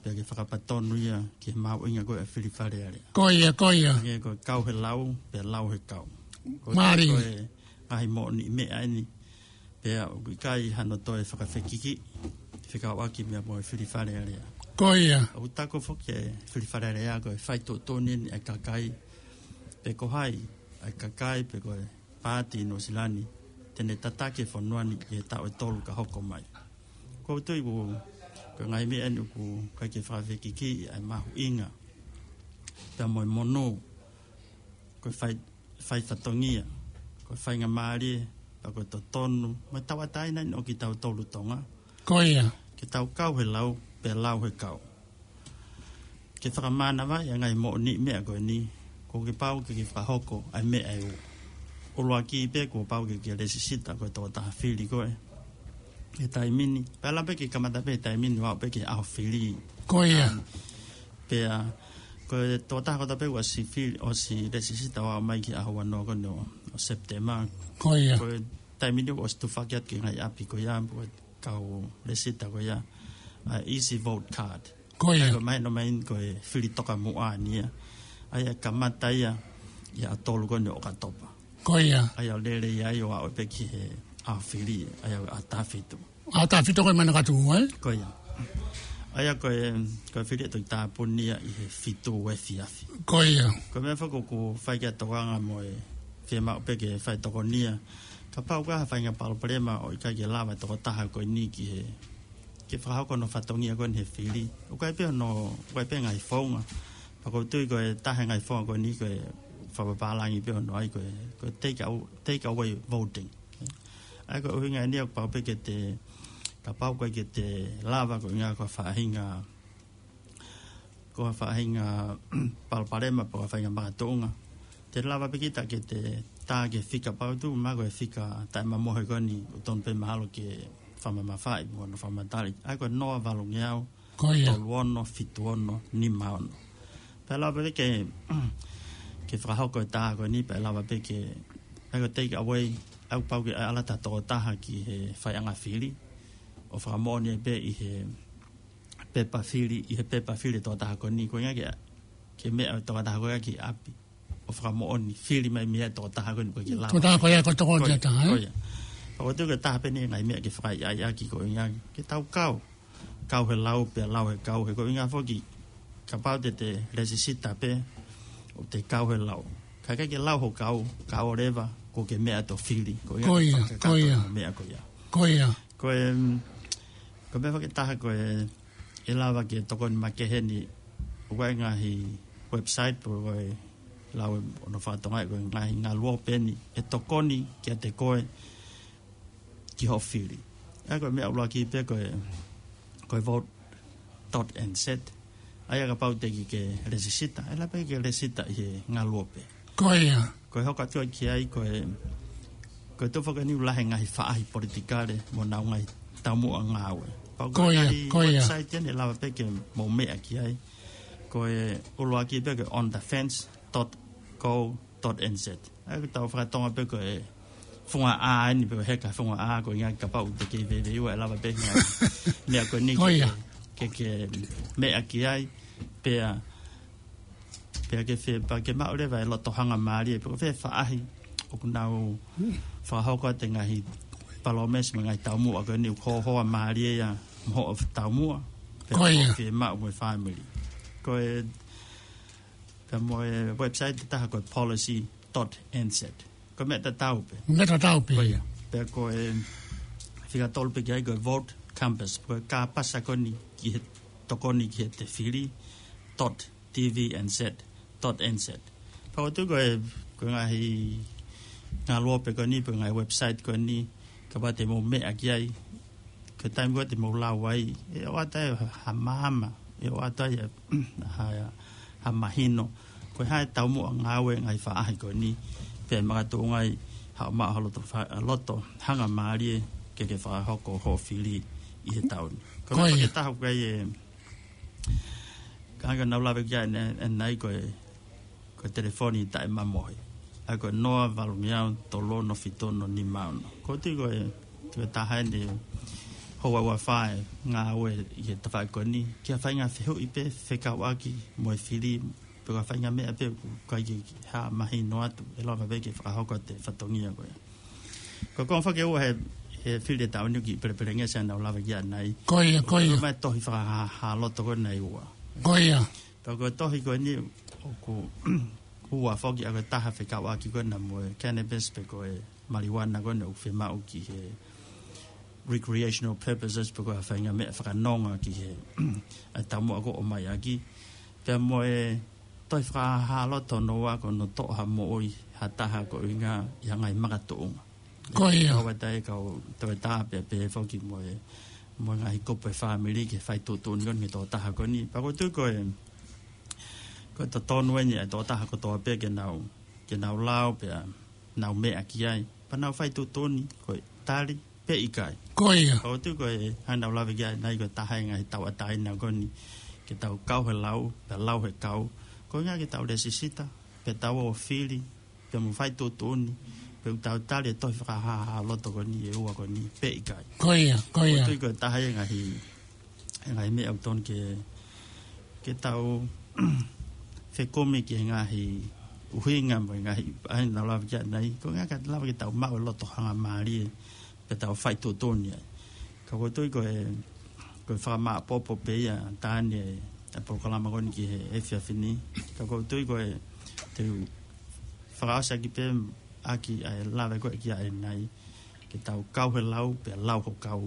pea ke fakapatonu ia ki he mahuʻinga ko ē ʻa e fili Fale Alea. Ko ia, ko ia. Ke ko e kau he lau, pea lau he kau. Ko e Mālie. Ko e ngaahi moʻoniʻi meʻa eni, pea ʻoku ʻikai hano toe fakafekiki, fekauʻaki meʻa mo e fili Fale Alea. Ko ia. ʻOku taku foki e fili Fale Alea ko e fai tuʻutuʻuni eni ʻa e kakai, pe ko hai ʻa e kakai, pe ko e pāti ʻi Nuʻusila ni te ne tataki e fonua ni ʻi he taʻu ʻe tolu ka hoko mai. ʻOku ou tui ko e ngaahi meʻa eni ʻoku ʻikai ke fakafekiki ʻa e mahuʻinga, pea mo e monū, ko e fai, fai fatongia, ko e faingamālie, pea ko e totonu, mo e tauʻatāina eni ʻo kitautolu Tonga. Ko ia. Ke tau kau he lau, pea lau he kau. Ke fakamānavaʻi ʻa e ngaahi moʻoniʻi meʻa ko eni, ʻoku pau ke ke fakahoko ʻa e meʻa ʻe ua. ʻUluaki pē kuo pau ke ke lēsisita ko e tokotaha fili ko ē he taimi ni. Pea ʻe lava pē ke kamata pē he taimi ni ʻo aʻu pē ki he ʻaho fili. Ko ia. Pea ko e tokotaha kotoa pē ʻoku ʻosi fili, ʻosi lēsisita ʻo aʻu mai ki he ʻaho uanoa ko eni ʻo, ʻo Sepitema. Ko ia. Ko e taimi ni ʻoku ʻosi tufaki atu ki he ngaahi ʻapi ko ia, ko e kau lēsisita ko ia, ʻa e Easy Vote Card. Ko ia. ʻA ia ko e mahino mai eni ko e fili tokamuʻa eni ia. ʻA ia ʻe kamata ia ʻi he ʻaho tolu ko eni ʻo ʻOkatopa. Ko ia. ʻA ia ʻo lele ia ʻo aʻu pē ki he ʻaho fili, ʻa ia ʻaho taha fitu. ʻAho taha fitu ko e manakatu, ē? Ko ia. ʻA ia ko e, ko e fili ʻe toki tāpuni ia ʻi he fitu efiafi. Ko ia. Ko e meʻa foki ʻoku fai ki ai e tokanga mo e fiemaʻu pē ke fai tokonia. Kapau ko ha faʻahinga palopalema ʻo ʻikai ke lava e tokotaha ko eni ki he, ke fakahoko hono fatongia ko eni he fili. ʻOku ʻi ai pē hono, ʻoku ʻi ai pē ngaahi founga. Pea ʻoku ou tui ko e taha e ngaahi founga ko eni ko e fakapapālangi pē hono ʻai ko e, ko e take out, take away voting. ʻA ia ko e ʻuhinga eni ʻoku pau pē ke te, kapau ko e ke te lava ko e ʻuhinga ko ha faʻahinga, ko ha faʻahinga palopalema pe ko ha faʻahinga makatuʻunga. Te lava pē kita ke te tā ki he fika, pau tu ma ko e fika taʻemamohe ko eni ʻoku tonu pē mahalo ke fakamamafaʻi mo hono fakamatali. ʻA ia ko e noa valungeau, Ko ia. tolu ono, fitu ono, nima ono. Pea ʻe lava pē ke, ke fakahoko e tā ko eni, pea ʻe lava pē ke, ʻa ia ko e take away, ʻoku pau ke ʻalu atu ha tokotaha ki he faiʻanga fili ʻo fakamoʻoni pē ʻi he pepa fili, ʻi he pepa fili e tokotaha ko eni, ko e ʻuhinga ke, ke meʻa e tokotaha ko ia ki ʻapi ʻo fakamoʻoni fili mai mei ai e tokotaha ko eni ʻoku ʻikai ke lava. Tokotaha ko ia ko e tokonia Ko ia, taha, ē? ko ia. Pea ʻoku ou tui ko e taha pē eni e ngaahi meʻa ke fakaʻaiʻaiʻaki ko e ʻuhinga ke tau kau. Kau he lau pea lau he kau, he ko e ʻuhinga foki, kapau te te lēsisita pē ʻo te kau he lau, ka ʻikai ke lau ho kau, ka ʻoua leva kuo ke meʻa atu ʻo fili. Ko ia, Ko ia, ke ko ia. kakato meʻa ko ia. Ko ia. Ko e, mm, ko e meʻa foki ʻe taha ko e, ʻe lava ke tokoni makehe eni, ʻoku ʻi ai e ngaahi website pe ko e lau ʻe hono fakatonga ko e ngaahi ngaluope eni ʻe tokoni kiate koe ki hoʻo fili. ʻA ia ko e meʻa ʻuluaki pē ko e, ko e vote dot N Z. ʻA ia kapau te ke lēsisita, ʻe lava pē ke lēsisita ʻi he ngaluope. Ko ia. Ko e hoko atu ki ai, ko e, ko e tuʻu foki eni ʻoku lahi e ngaahi faʻahi politikale mo honau ngaahi taumuʻa ngāue. Pea ko Ko e ia, ngaahi ko ia. website eni ʻe lava pē ke mou meʻa ki ai. Ko e ʻuluaki pē ko e on the fence dot co dot N Z. ʻA ia ko ʻetau fakatonga pē ko e funga ʻā eni pe ko e heka funga ʻā, ko e ʻuhinga kapau te ke veiveiua ʻe lava pē ngaahi meʻa ko eni Ko ke, ia. ke, ke meʻa ki ai, pea, pea ke fie, pea ke maʻu leva e loto hangamālie, pe ko fē faʻahi ʻoku nau fakahoko atu e ngaahi palōmesi mo e ngaahi taumuʻa ko eni ʻoku hohoa mālie ia mo hoʻo taumuʻa, pea Ko ia. hoʻo fiemaʻu mo e fāmili. Ko e, pea mo e website ʻe taha ko e policy dot N Z. Ko e meʻa tatau pē. Meʻa tatau pē. Ko ia. Pea ko e fika tolu pē ki ai ko e Vote Compass. Ko e kāpasa ko eni ki he tokoni ki heʻete fili, dot T V N Z, dot N Z. Pea ʻoku ou tui ko e, ko e ngaahi ngaluope ko eni, pe ko e ngaahi website ko eni, kapau te mou meʻa ki ai, ko e taimi ko ē te mou lau ai, ʻe ʻoatu ha maama ʻE ʻoatu ai ha, ha mahino ko e hā e taumuʻa ngāue e ngaahi faʻahi ko eni, pea makatuʻunga ai haʻo maʻu ha loto fa-, loto hangamālie ke ke fakahoko hoʻo fili ʻi he taʻu ni. Ko e Ko ia. meʻa ke taha ko ē e, ka ke nau lave ki ai ʻanenai ko e, ko e telefoni taʻemamohe. ʻA ia ko e noa valu ngeau tolu ono fitu ono nima ono. ʻOku ou tui ko e, ko e taha eni e houa ua fā e ngāue ʻi he tafaʻaki ko eni, ki ha faʻahinga fehuʻi pē fekauʻaki mo e fili, pe ko ha faʻahinga meʻa pē ʻoku ʻikai ke hā mahino atu, ʻe lava pē ke fakahoko atu e fatongia ko ē. Ko e konga foki ʻe ua he, he fili e taʻu ni ʻoku kiʻi pelepelengesi ʻa ʻenau lave ki ai ʻanenai. Ko ia, ko ia. Ko e mai tohi fakahāhā loto ko eni ʻe ua. Ko ia. Pea ko e tohi ko eni ʻoku ua foki, ʻa ia ko e taha fekauʻaki ko ena mo e cannabis pe ko e maliuana ko ena ʻoku fiemaʻu ki he recreational purposes pe ko ha faʻahinga meʻa fakanonga ki he, ʻa e taumuʻa ʻoku ʻomai ʻaki. Pea mo e tohi fakahāhā loto hono ua ko hono toʻo ha moʻui ha taha ko e ʻuhinga ʻi ha ngaahi makatuʻunga. Ko ia. Kau ʻa e taʻe kau toe tā pea pehē foki mo e, mo e ngaahi kupu e fāmili ke fai tuʻutuʻuni ko eni ki he tokotaha ko eni. Pea ʻoku ou tui ko e, ko e totonu eni ʻa e tokotaha kotoa pē ke nau, ke nau lau pea nau meʻa ki ai. Pea nau fai tuʻutuʻuni ko e tali pe ʻikai. Ko ia. Pea ʻoku ou tui ko e hā ʻenau lave ki ai ʻanenai ko e taha e ngaahi tauʻatāina ko eni ke tau kau he lau, pea lau he kau. Ko e ʻuhinga ke tau lēsisita, pea tau ō fili, pea mo fai tuʻutuʻuni, pea ʻoku tau tali e tohi fakahāhā loto ko eni ʻe ua ko eni pe ʻikai. Ko ia, ko ia. ʻOku ou tui ko e taha e ngaahi, e ngaahi meʻa ʻoku totonu ke, ke tau fekumi ki he ngaahi ʻuhinga mo e ngaahi, ʻa ia naʻa ku lave ki ai ʻanenai. Ko e ʻuhinga ke lava ke tau maʻu e loto hangamālie, pea tau fai tuʻutuʻuni ai. Ka ʻoku ou tui ko e, ko e fakamāʻopoʻopo pē ia taha eni e, e polokalama ko eni ki he efiafi ni. Ka ʻoku ou tui ko e, te u fakaʻosi ʻaki pē ʻaki ʻa e lave ko ē ki ai ʻanenai. Ke tau kau he lau, pea lau ho kau.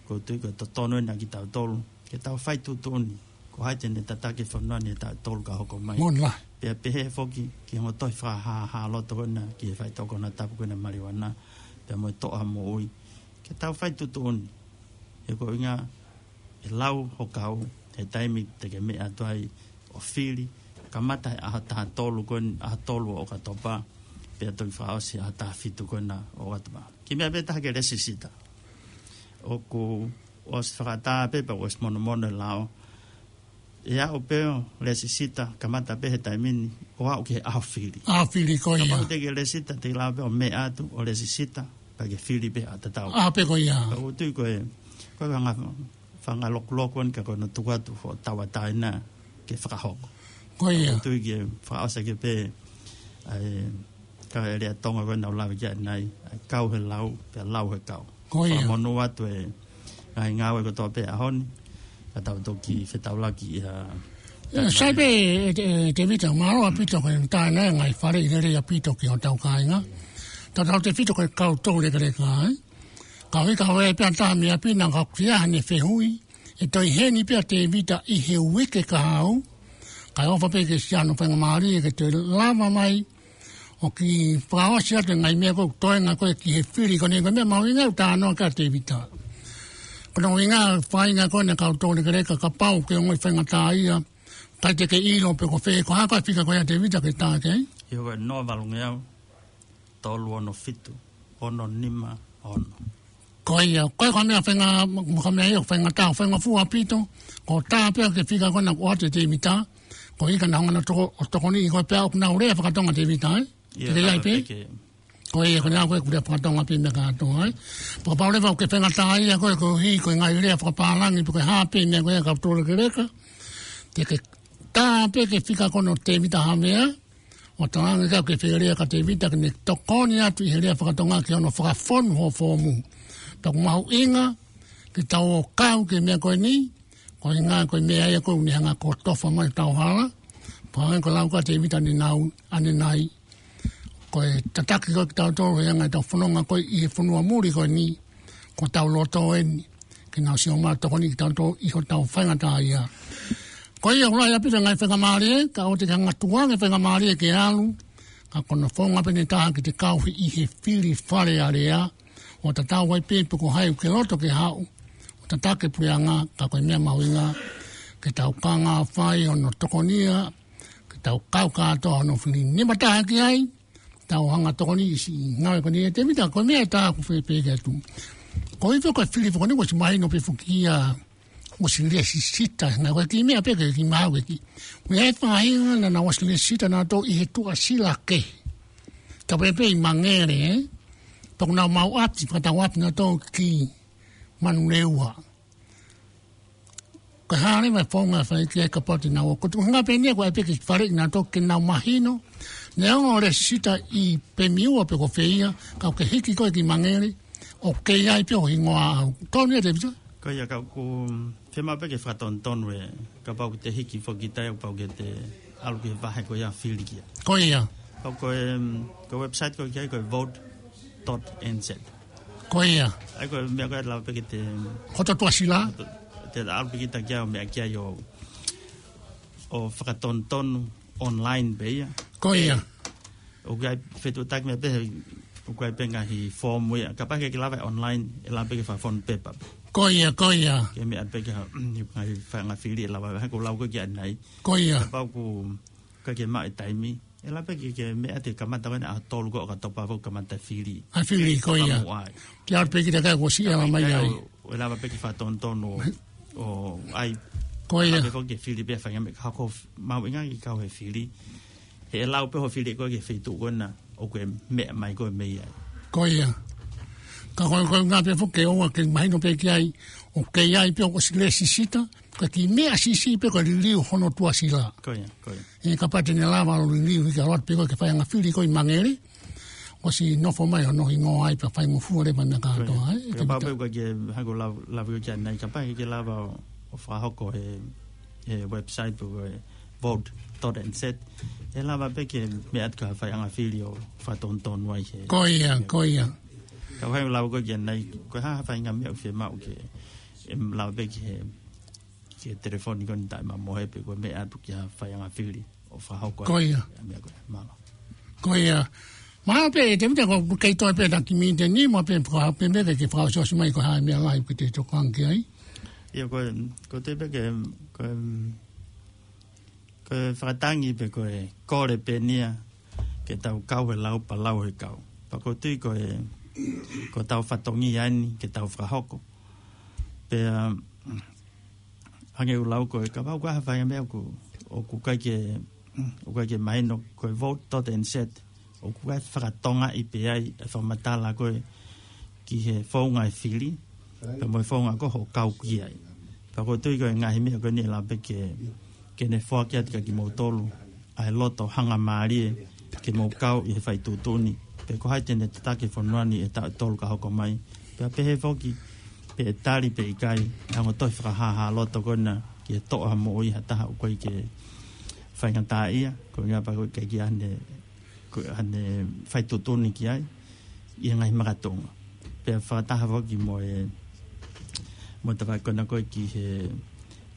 ʻOku ou tui ko e totonu eni ʻa kitautolu ke tau fai tuʻutuʻuni. Ko hai te ne tataki e fonua ni ʻe tautolu ka hoko mai. Moʻoni lahi. Pea pehē foki ki he ongo tohi fakahāhā loto ko ena ki he faitoʻo konatapu ko ena maliuana, pea mo e toʻo ha moʻui. Ke tau fai tuʻutuʻuni. He ko e ʻuhinga ʻe lau ho kau he taimi te ke meʻa atu ai ʻo fili, kamata he ʻaho taha tolu ko ena, ʻaho tolu ʻo ʻOkatopa, pea toki fakaʻosi ʻaho taha fitu ko ena ʻo ʻOkatopa. Kiʻi meʻa pē taha ke lēsisita. ʻOku ʻosi fakatā pē pea ʻosi monomono e lao. ʻE aʻu pē ʻo lēsisita, kamata pē he taimi ni, ʻo aʻu ki he ʻaho fili. ʻAho fili ko ia. Kapau te ke lēsisita, te ke lava pē ʻo meʻa atu, ʻo lēsisita, pea ke fili pē ʻaho tatau. ʻAho pē ko ia. Pea ʻoku ou tui ko e, ko e fanga, fanga lokuloku eni ka ko hono tuku atu hoʻo tauʻatāina ke fakahoko. Ko ia. ʻOku ou tui ke fakaʻosi ʻaki pē, ʻa e, ka e lea Tonga ko ē naʻa ku lave ki ai ʻanenai, ʻa e kau he lau, pea lau he kau. Ko ia. Fakamonū atu e ngaahi ngāue kotoa pē ʻaho ni, ka tau toki fetaulaki ia. ʻIo, sai pē, ʻe, ʻe, Tēvita, mālō ʻaupito ko e tā ʻanenai e ngaahi faleʻi lelei ʻaupito ki hotau kāinga. Tautautefito ko e kau toulekeleka, ē? Ka ʻoku ʻikai ke ʻi ai pē ha taha mei ʻapi naʻa ku kia hane fehuʻi, ʻe toe ʻi heni pē ʻa Tēvita ʻi he uike kahaʻu, kae ʻofa pē ke siʻi hano faingamālie ke toe lava mai ʻo kiʻi fakaʻosi atu e ngaahi meʻa ko ē ʻoku toenga ko ē ki he fili ko eni, ko e meʻa mahuʻinga ʻoku talanoa ki ai ʻa Tēvita. Ko hono ʻuhinga faʻahinga ko ena e kau toulekeleka kapau ʻoku ke ongoʻi faingataʻaʻia, ʻikai te ke ʻilo pe ko fē, ko e hā koā e fika ko ia Tēvita ke tā ki ai? ʻIo, ko e noa valu ngeau tolu ono fitu ono nima ono. Ko ia, ko e ko e meʻa fainga, ko e meʻa ia faingataʻa, faingofua ʻaupito, ko e tā pē ʻa e fika ko ena kuo ʻoatu ʻe Tēvita, ko e ʻikai ke na hanga ʻo toko, ʻo tokoniʻi koe pea ʻoku nau lea faka-Tonga Tēvita, ē? ʻIo, te ke ʻi ai pē? Ko ia, ko ena ko e kuo lea faka-Tonga pē meʻa kātoa, ē? Kapau leva ʻoku ke faingataʻaʻia koe, koeʻuhi ko e ngaahi lea fakapālangi, pe ko e hā pē meʻa ko ia kau toulekeleka, te ke tā pē ki he fika ko ena ʻo Tēvita Havea, ʻo talaange ki ai ʻoku ke fie lea kia Tēvita ke ne tokoni atu ʻi he lea faka-Tonga ki hono fakafonu hoʻo foomu. Pea ʻoku mahuʻinga ke tau ō ʻo kau ki he meʻa ko eni, ko e ʻuhinga ko e meʻa ia ko ē ʻoku ne hanga ʻo kotofa mai hotau hala. Pea hangē ko e lau ko ē ʻa Tēvita ʻanenai, ʻanenai, ko e tataki ko ē kitautolu he anga ʻetau fononga ko ē ʻi he fonua muli ko eni, ko hotau loto eni, ke nau siʻi ō mai ʻo tokoni kiate kitautolu ʻi hotau faingataʻaʻia. Ko ia ʻoku lahi ʻaupito e ngaahi faingamālie, ka ʻoua te ke hanga ʻo tukuange e faingamālie ke ʻalu, ka ko hono founga pē ʻe taha ke te kau ʻi he fili Fale Alea, ʻo tatau ai pē pe ko hai ʻoku ke loto ke haʻu ʻo tataki e puleʻanga, ka ko e meʻa mahuʻinga ke tau kaungā fai hono tokonia, ke tau kau kātoa hono fili. Nima taha ki ai, tau hanga tokoni ʻi siʻi ngāue ko eni ʻe Tēvita, ko e meʻa ʻe taha ʻoku fie pehē atu. Ko e hifo ko e fili foki eni kuo ʻosi mahino pē foki ia, ʻosi lēsisita, naʻe ko e kiʻi meʻa pē ke kiʻi maʻu e kiʻi. Ko e faʻahinga naʻa nau ʻosi lēsisita naʻa nau tō ʻi he tuʻasila kehe. Ka pē pē ʻi Mangere, ē? Pea ʻoku nau maʻu ʻapi, fakatau ʻapi naʻa nau tō ki Manurewa. Ko e hā leva e founga ʻe fai ki ai kapau te nau ō. Ko e tuʻunga pē eni ia ko e ʻai pē ke faleʻi naʻa nau tō ke nau mahino. Neongo ʻoku lēsisita ʻi Pemiua pe ko fē ia, ka ʻoku ke hiki koe ki Mangere, ʻoku kei ʻi ai pē ho hingoa ʻaʻau. Tonu ia Tēvita? Ko ia ka ʻoku fiemaʻu pē ke fakatonutonu ē, kapau ʻoku te hiki foki ki tai ʻoku pau ke te ʻalu ki he vahe ko ia fili ki ai. Ko ia. Ka ko e, ko e website ko ē ki ai ko e vote dot N Z. Ko ia. ʻA ia ko e meʻa ko ē ʻe lava pē ke te Hoto tuʻasila. Te ʻalu pē kita ki ai ʻo meʻa ki ai ʻo, ʻo fakatonutonu online pē ia. Ko ia. ʻOku ʻi ai fetuʻutaki meʻa pē, ʻoku ʻi ai pē ngaahi foomu ia. Kapau ʻoku ʻikai ke lava online, ʻe lava pē ke fakafonu pepa. Ko ia, ko ia. Ke meʻa pē ke ha, ngaahi faʻahinga fili ʻe lava, he ʻoku lau ko ē ki ai ʻanenai. Ko ia. Kapau ʻoku ʻikai ke maʻu e taimi, ʻe lava pē ke, ke meʻa atu he kamata ko ē ʻaho tolu ko ē ʻo ʻOkatopa ʻoku kamata fili. ʻA e fili, ko ia. Ke ʻalu pē kita ki ai kuo ʻosi ʻi ai mai ai. ʻE lava pē ke fakatonutonu ʻo, ʻo ʻai. Ko ia. ʻAlu pē foki ke fili pē faʻahinga meʻa ka ko f-, mahuʻinga ke kau he fili. He ʻe lau pē hoʻo fili ko ē ki he feituʻu ko ena ʻoku ke meʻa mai koe mei ai. Ko ia. Ka ko e, ko e ʻuhinga pē foki ke ʻoua ke mahino pē ki ai, ʻoku kei ʻi ai pē ʻoku ʻosi lēsisita, ka kiʻi meʻa siʻisiʻi pē ko e liliu hono tuʻasila. Ko ia, ko ia. ʻE kapau te ne lava ʻo liliu hiki ʻalu atu pē ko ē ke fai anga fili ko ē ʻi Mangere. ʻOsi nofo mai hono hingoa ai pea faingofua leva meʻa kātoa, ē, Kapau pē ʻoku ʻikai ke, hangē ko e lau, lau ko ē ki ai ʻanenai, kapau ʻoku ʻikai ke lava ʻo, ʻo fakahoko he, he website pe ko e vote dot N Z, ʻe lava pē ke meʻa atu ki ha faiʻanga fili ʻo fakatonutonu ai he. Ko ia, ko ia. Ka hangē ko e lau ko ē ki ai ʻanenai, ko e hā ha faʻahinga meʻa ʻoku fiemaʻu ke, ʻe lava pē ke, ke telefoni ko eni taʻemamohe pe ko e meʻa atu ki ha faiʻanga fili ʻo fakahoko ai. Ko ia. Meʻa ko ē, mālō. Ko ia. Mālō pē, ʻe Tēvita, ko e kei toe pē ʻa e kiʻi miniti ʻe nima pē, faka-, pē meʻa ke fakaʻosiʻosi mai ko e hā e meʻa lahi ʻoku te tokanga ki ai. ʻIo, ko e, ko e toe pē ke, ko e, ko e fakatangi pe ko e kole pē eni ia ke tau kau he lau pea lau he kau. Pea ʻoku ou tui ko e, ko ʻetau fatongia eni ke tau fakahoko. Pea, hangē ko e lau ko ē, kapau ko ha faiʻanga meʻa ʻoku, ʻoku ʻikai ke, ʻoku ʻikai ke mahino, ko e vote dot N Z, ʻoku ʻikai fakatongaʻi pē ai e fakamatala ko ē ki he founga e fili, pea mo e founga ko ē hoʻo kau ki ai. Pea ʻoku ou tui ko e ngaahi meʻa ko eni ʻe lava pē ke, ke ne foaki atu kia kimoutolu ʻa e loto hangamālie ke mou kau ʻi he faituʻutuʻuni. Pe ko hai te ne tataki e fonua ni he taʻu ʻe tolu ka hoko mai. Pea pehē foki, pe ʻe tali pe ʻikai, ʻe hanga ʻo tohi fakahāhā loto ko ena ki he toʻo ha moʻui ha taha ʻoku ʻikai ke faingataʻaʻia, ko e ʻuhinga pē ko e ʻikai ke ʻi ai haʻane, ko e haʻane faituʻutuʻuni ki ai, ʻi he ngaahi makatuʻunga. Pea fakataha foki mo e, mo e tafaʻaki ko ena ko ē ki he,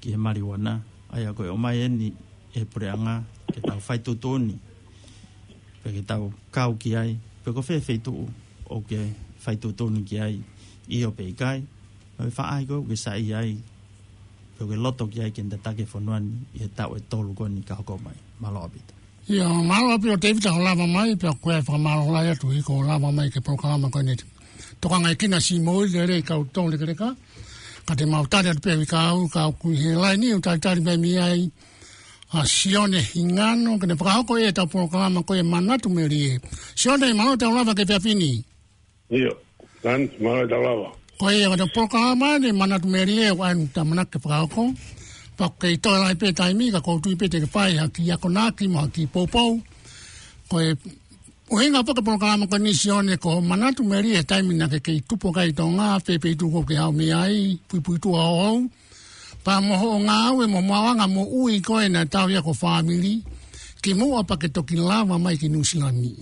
ki he maliuana, ʻa ia ko e ʻomai eni ʻe he puleʻanga ke tau faituʻutuʻuni, pe ke tau kau ki ai, pe ko fē feituʻu ʻoku ke faituʻutuʻuni ki ai, ʻio pe ʻikai, mo e faʻahi ko ē ʻoku ke saiʻia ai, pe ʻoku ke loto ki ai ke ne tataki e fonua ni ʻi he taʻu ʻe tolu ko eni ka hoko mai. Mālō ʻaupito. ʻIo, mālō ʻaupito Tēvita hoʻo lava mai, pea ko e fakamālō lahi atu ʻi hoʻo lava mai ki he polokalama ko eni. Tokangaekina siʻi moʻui lelei kau tau lekeleka, ka te mau tali atu pē ʻi he kau, kau ʻoku ʻi he laini ʻo talitali mai mei ai, ʻa Sione Hingano, ke ne fakahoko ʻetau polokalama ko e Manatu Melie. Sione, mālō e tau lava ki he efiafi ni. ʻIo, Lance, mālō e tau lava. Ko ia, ko ʻetau polokalama eni Manatu Melie, ʻoku ʻi ai ʻetau ʻamanaki ke fakahoko. Pea ʻoku kei toe lahi pē taimi, ka ʻoku ou tui pē te ke fai ha kiʻi akonaki mo ha kiʻi poupou. Ko e ʻuhinga pē ʻo e polokalama ko eni Sione ko e Manatu Melie he taimi naʻa ke kei tupu ai ʻi Tonga, fē feituʻu ʻoku ke haʻu mei ai, puipuituʻa hohou. Pea mo hoʻo ngāue mo e maʻuʻanga moʻui ko ē naʻe tauhi ʻaki ho fāmili, kimuʻa pea ke toki lava mai ki Nuʻusila ni.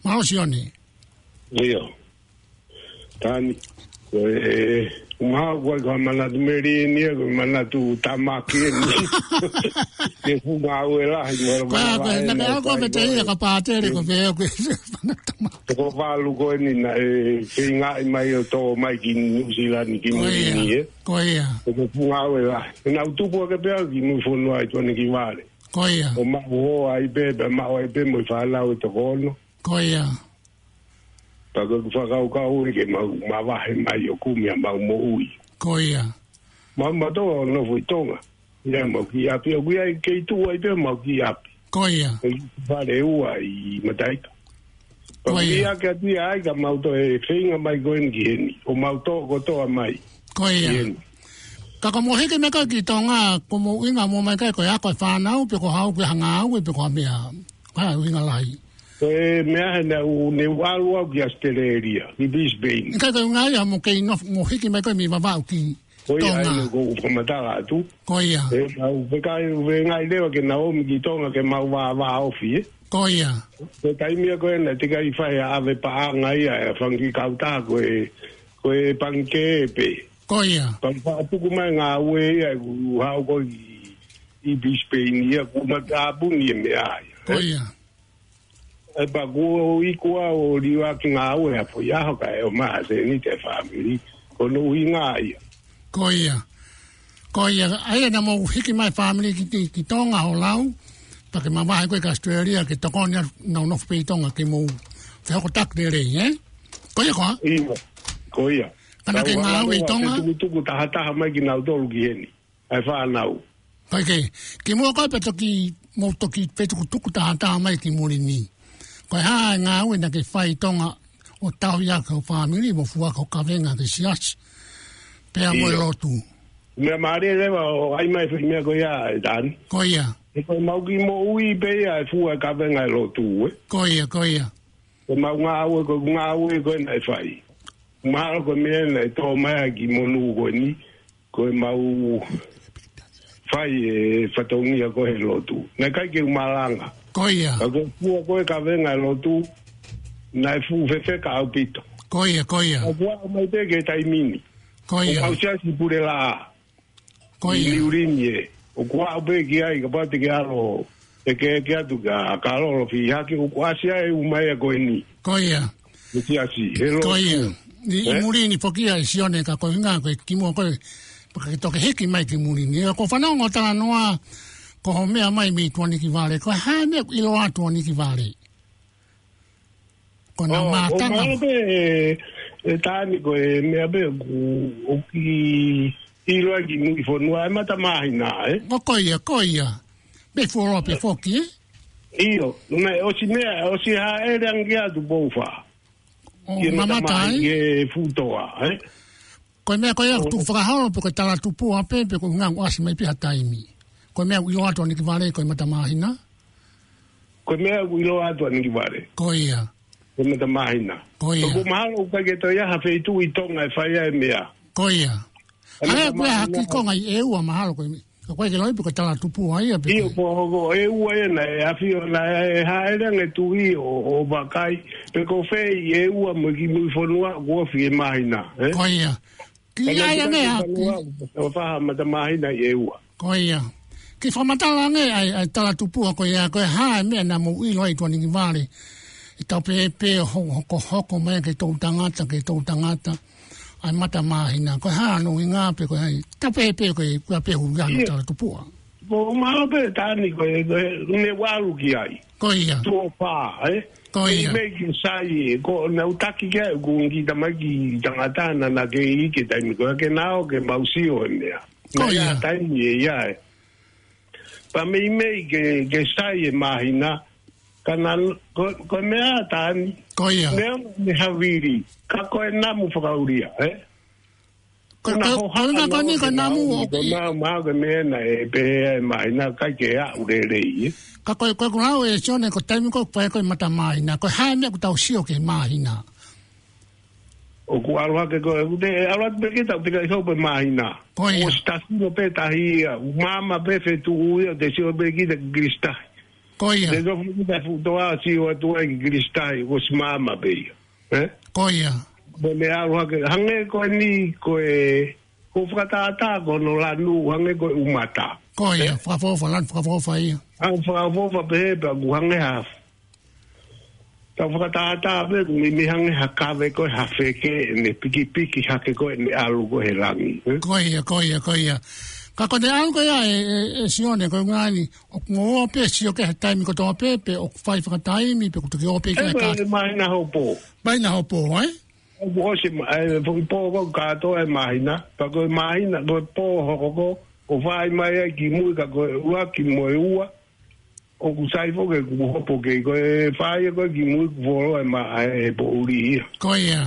Mālō Sione. ʻIo. Tani. Ko e, ʻumaʻā ko e, ko e manatu meli eni ia, ko e manatu tamaki eni. Ke fuʻu ngāue lahi, mo e Ko ia, ko e, manavahe na ka eni, ako ko e me te ia, ka pātele ko e, ko e, ko e, manatu ma- Toko valu ko eni naʻe feingaʻi mai ʻo tō mai ki New Zealand ki Ko ia, Mulini, ē. ko ia. Ko e fuʻu ngāue lahi. Naʻa ku tupu ake pē au ki Muifonua ʻi Tuʻanekivale. Ko ia. ʻO maʻu hoa ai pē, pea maʻu ai pē mo e fānau ʻe toko ono. Ko ia. Pea ko ʻeku fakakaukau ē ke mau mavahe mai ʻo kumi ʻa mau moʻui. Ko ia. Mau mātuʻa ʻo nofo ʻi Tonga. ʻIa mau kiʻi ʻapi, ʻoku ʻi ai kei tuʻu ai pē mau kiʻi ʻapi. Ko ia. ʻI fale ua ʻi Mataʻita. Ko ia. Pea ʻoku ʻi ai ke ʻapi ai ka mau toe feinga mai ko eni ki heni. ʻO mau tō kotoa mai. Ko ia. Ki heni. Ka ko hoʻomou hiki mai ko ē ki Tonga, ko hoʻomou ʻuhinga hoʻomou mai ko ē ko e ako e fānau, pe ko e haʻu ki ha ngāue, pe ko ha meʻa. Ko e hā e ʻuhinga lahi? Ko e meʻa he naʻa ku, ne u ʻalu au ki ʻAositelēlia, ki Brisbane. ʻIkai ko e ʻuhinga ia hoʻomou kei nofo, hoʻomou hiki mai ko ē mei Vavaʻu ki Ko ia, Tonga. ʻa ia ko u fakamatala atu. Ko ia. ʻE, au, feingaʻi, feingaʻi leva ke nau ō mai ki Tonga ke mau vāvāofi, ē. Ko ia. Ko e taimi ia ko ē naʻe teʻeki ai fai ha ʻave paʻanga ia, ʻe fanga kiʻi kautaha ko e, ko e pangikē pē. Ko ia. Pea u fakatuku mai ngāue ia, ʻeku haʻu ko ē ʻi, ʻi Brisbane ia, kuo ma tāpuni e meʻa ia, Ko ē. ia. ʻE pea kuo iku au ʻo liuaki ngāue ʻa e foʻi ʻaho kae ʻomai ha sēniti e fāmili. Ko hono ʻuhinga ia. Ko ia. Ko ia, ʻa ia naʻa mou hiki mai fāmili ki, ki, ki Tonga hoʻo lau, pea ke mavahe ko ē ki ʻAositelēlia ke tokoni atu nau nofo pē ʻi Tonga ke mou fehokotaki lelei, ē? Ko ia koā? ʻIo, ko ia. Ka naʻa ke Kau ngāue ʻi ʻalu Tonga? ʻa e tukutuku tahataha mai kinautolu ki heni. ʻA e fānau. Kae kehe, kimuʻa ko ē pea toki, mou toki fetukutuku tahataha mai ki Mulini. Ko e hā e ngāue naʻa ke fai ʻi Tonga ʻo tauhi ʻaki ho fāmili, mo fua ʻaki ho kavenga ki he siasi. Pea mo e ʻIo. lotu. Meʻa mālie leva ʻoku ʻai mai e foʻi meʻa ko ia ē Tani. Ko ia. ʻE ko e mau kiʻi moʻui pē ia ʻe fua e kavenga e lotu, ē. Ko ia, ko ia. Ko e mau ngāue, ko e ngāue ko ē naʻe fai. Mahalo ko e meʻa naʻe tō mai ai ki Monū ko eni, ko e mau fai e fatongia ko ē he lotu. Naʻe ʻikai ke u malanga. Ko ia. Ka ko e fua ko ē kavenga e lotu, naʻe fuʻu fefeka ʻaupito. Ko ia, ko ia. Ka kuo aʻu mai pē ki he taimi ni. Ko ia. ʻOku mau siasi pule laʻā. Ko ia. Niu Lini ē. ʻOku aʻu pē ki ai, kapau te ke ʻalu ʻo ʻeke, ʻeke atu kia Kalolo Fihaki, ʻoku ʻasi ai e ʻū meʻa ko eni. Ko ia. Mo e siasi, he lotu. Ko ia. ʻI, ʻi Ē? Mulini foki ia ʻe Sione ka ko e ʻuhinga ko e kimuʻa ko ē, pea ke toki hiki mai ki Mulini. ʻIo, ʻoku ou fanongo talanoa, ko hoʻo meʻa mai mei Tuʻanekivale. Ko e hā e meʻa ʻoku ʻiloa Tuʻanekivale? Ko ʻenau ʻO, ʻo mātanga. Mahalo pē, ē, ē Tani ko e meʻa pē ʻoku, ʻoku kiʻi ʻiloa ki Muifonua, e Mata Māhina, ē? ʻO ko ia, ko ia. Pea fuoloa pē foki, ē? ʻIo, naʻe ʻosi meʻa, ʻosi hāʻele ange atu Poufa. ʻO Ki he Mata mamata Māhina, ai? ki he Futoa, ē? Ko e meʻa ko ia ʻoku tuku fakaholo pe ko e talatupuʻa pē, pe ko e ʻuhinga ʻoku ʻasi mai pē ha taimi. Ko e meʻa ʻoku ʻiloa Tuʻanekivale, ko e Mata Māhina? Ko e meʻa ʻoku ʻiloa Tuʻanekivale. Ko ia. Ko e Mata Māhina. Ko ia. Ka ʻoku mahalo ʻoku ʻikai ke toe ʻi ai ha feituʻu ʻi Tonga ʻe fai ai e meʻa. Ko ia. Ko e Hale Mata pē ha Māhina. kiʻi konga ʻi ʻEua mahalo ko e, ka ʻoku ʻikai ke loi pe ko e talatupuʻa ia pe ʻIo, ko e ko, ko ʻEua ia naʻe ʻafio naʻe hāʻele ange tuʻi ʻo, ʻo vakai. Pe ko fē ʻi ʻEua mo e kiʻi Muifonua, ʻoku ofi e māhina, ē? Ko ia. Kiʻi ʻai ange ha kiʻi ʻO faha Mata Māhina ʻi ʻEua. Ko ia. Kiʻi fakamatala ange ʻa e, ʻa e talatupuʻa ko ia, ko e hā e meʻa naʻa mou ʻilo ai Tuʻanekivale. ʻI he tau pehē pē ho-, hokohoko mai ke tau tangata, ke tau tangata. ʻA e Mata Māhina. Ko e hā hono ʻuhinga pe ko e hā. Tau pehē pē ko e, ko e pehē ʻuhinga ʻo e Ia. talatupuʻa. Ko mahalo pē Tani ko e, ko e, ne u ʻalu ki ai. Ko ia. Tuʻo fā, ē? Ko ia. Meimei ke sai, ko naʻa ku taki ki ai, ko e kiʻi tamaiki tangata naʻa na kei ʻi he taimi ko ē ke nau ke mau sio e meʻa. Ko Naʻe ʻi ai ia. ha taimi ʻe ʻi ai. Pea meimei ke, ke sai e māhina, ka naʻa, ko, ko e meʻa Tani. Ko ia. Meʻa ne havili, ka ko e namu fakaʻulia, ē? Ko, Ko na ko, hoha ko na na ko ni ko na namu o ko ki. na ma ko me na e pe e mai na kai ke a u lelei, ē. Ka ko, ko, ko lau e Sione ko e taimi ko ē ʻoku fai ko ē Mata Māhina. Ko e hā e meʻa ʻoku tau sio ki he māhina? ʻOku ʻalu hake ko e, ʻoku te, ʻalu atu pē ke tau pika i hau pē māhina. Ko ia. ʻOsi tasi no pē tahi ia, ʻoku maama pē fetuʻu ia, te sio pē kita ki Kilisitahi. Ko ia. Te sio pē kita Futoa sio atu ai ki Kilisitahi, ʻosi maama pē ia. Ē? Ko ia. Mo ne ʻalu hake, hangē ko eni ko e, ko fakatātā ko hono lanu, hangē ko e ʻumata. Ko ia, fakaʻofoʻofa, lanu fakaʻofoʻofa ia. ʻA fakaʻofoʻofa pehē pea ʻoku hangē ha. Tau fakatātā pē, ʻoku meimei hangē ha kave ko e ha feke, ne pikipiki hake ko e ne ʻalu ko e he langi. Eh? Ko ia, ko ia, ko ia. Ka ko e ne ʻalu ko ia ʻe, ʻe, ʻe Sione, ko e ngani, ʻoku mo ō pē sio ki he taimi kotoa pē, pe ʻoku fai fakataimi, pe ʻoku toki ō pē ki he kātoa. Māhina hopo. Māhina hopo, eh? ʻOku ʻosi ma-, ʻe, foʻi pō ko kātoa ʻe māhina. Pea ko e māhina, ko e pō hoko ko, ʻoku fai mai ai kimui ka ko e ua ki mo e ua. ʻOku sai foki ʻeku hopo kei ko e fai ko e kimui kuo fuoloa ʻe ma-, ʻe poʻuli ia. Ko ia.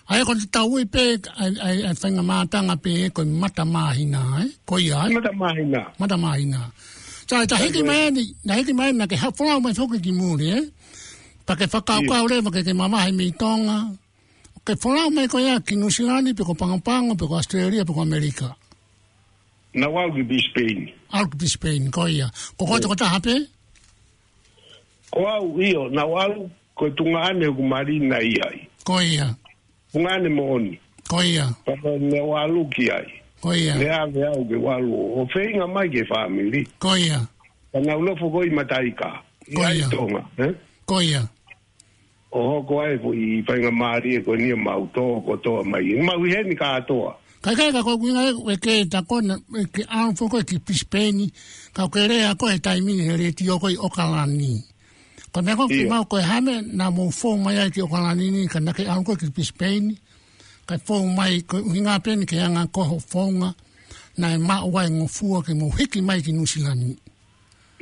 ʻA ia ko e tau ui pē, ʻa e, ʻa e, ʻa e faingamātanga pē ko e mata māhina, eh? Ko ia, eh? Mata māhina. Mata māhina. Sai, ta hiki mai ni, na hiki mai na ke ha-, folau mai foki kimui, eh? Pea ke fakakaukau leva ke, ke mavahe mei Tonga. Ke folau mai ko ia ki Nuʻusila ni, pe ko Pagopago, pe ko Australia, pe ko ʻAmelika. Naʻá ku ʻalu ki Brisbane. ʻAlu ki Brisbane, ko ia. Ko koe tokotaha pē? Ko au, ʻio, naʻá ku ʻalu, ko e tuongaʻane ʻoku mali na ʻi ai. Ko ia. Tuongaʻane moʻoni. Ko ia. Pea ko ʻene ʻalu ki ai. Ko ia. Ne ʻave au ke u ʻalu ʻo feinga mai ki he fāmili. Ko ia. Pea naʻá ku nofo ko ē ʻi Mataika. ʻI ai Tonga, eh? Ko ia. ʻO hoko ai foʻi faingamālie ko eni ʻo mau tō kotoa mai. Mau ʻi heni kātoa. Kae kehe ka ko e ʻuhinga ē, ʻoku ke ta ko na, ʻoku ke ʻalu foki ki Brisbane, ka ʻoku ke lea ko ē he taimi ni he letiō ko ē ʻi ʻOkalani. Ko e meʻa ko ē ʻoku mau ko e hā e meʻa naʻa mou fou mai ai ki ʻOkalani ni, ka naʻá ke ʻalu ko ē ki Brisbane, kae fou mai ko e ʻuhinga pē eni ke anga ko hoʻo founga, naʻe maʻu ai e ngofua ke mou hiki mai ki Nuʻusila ni.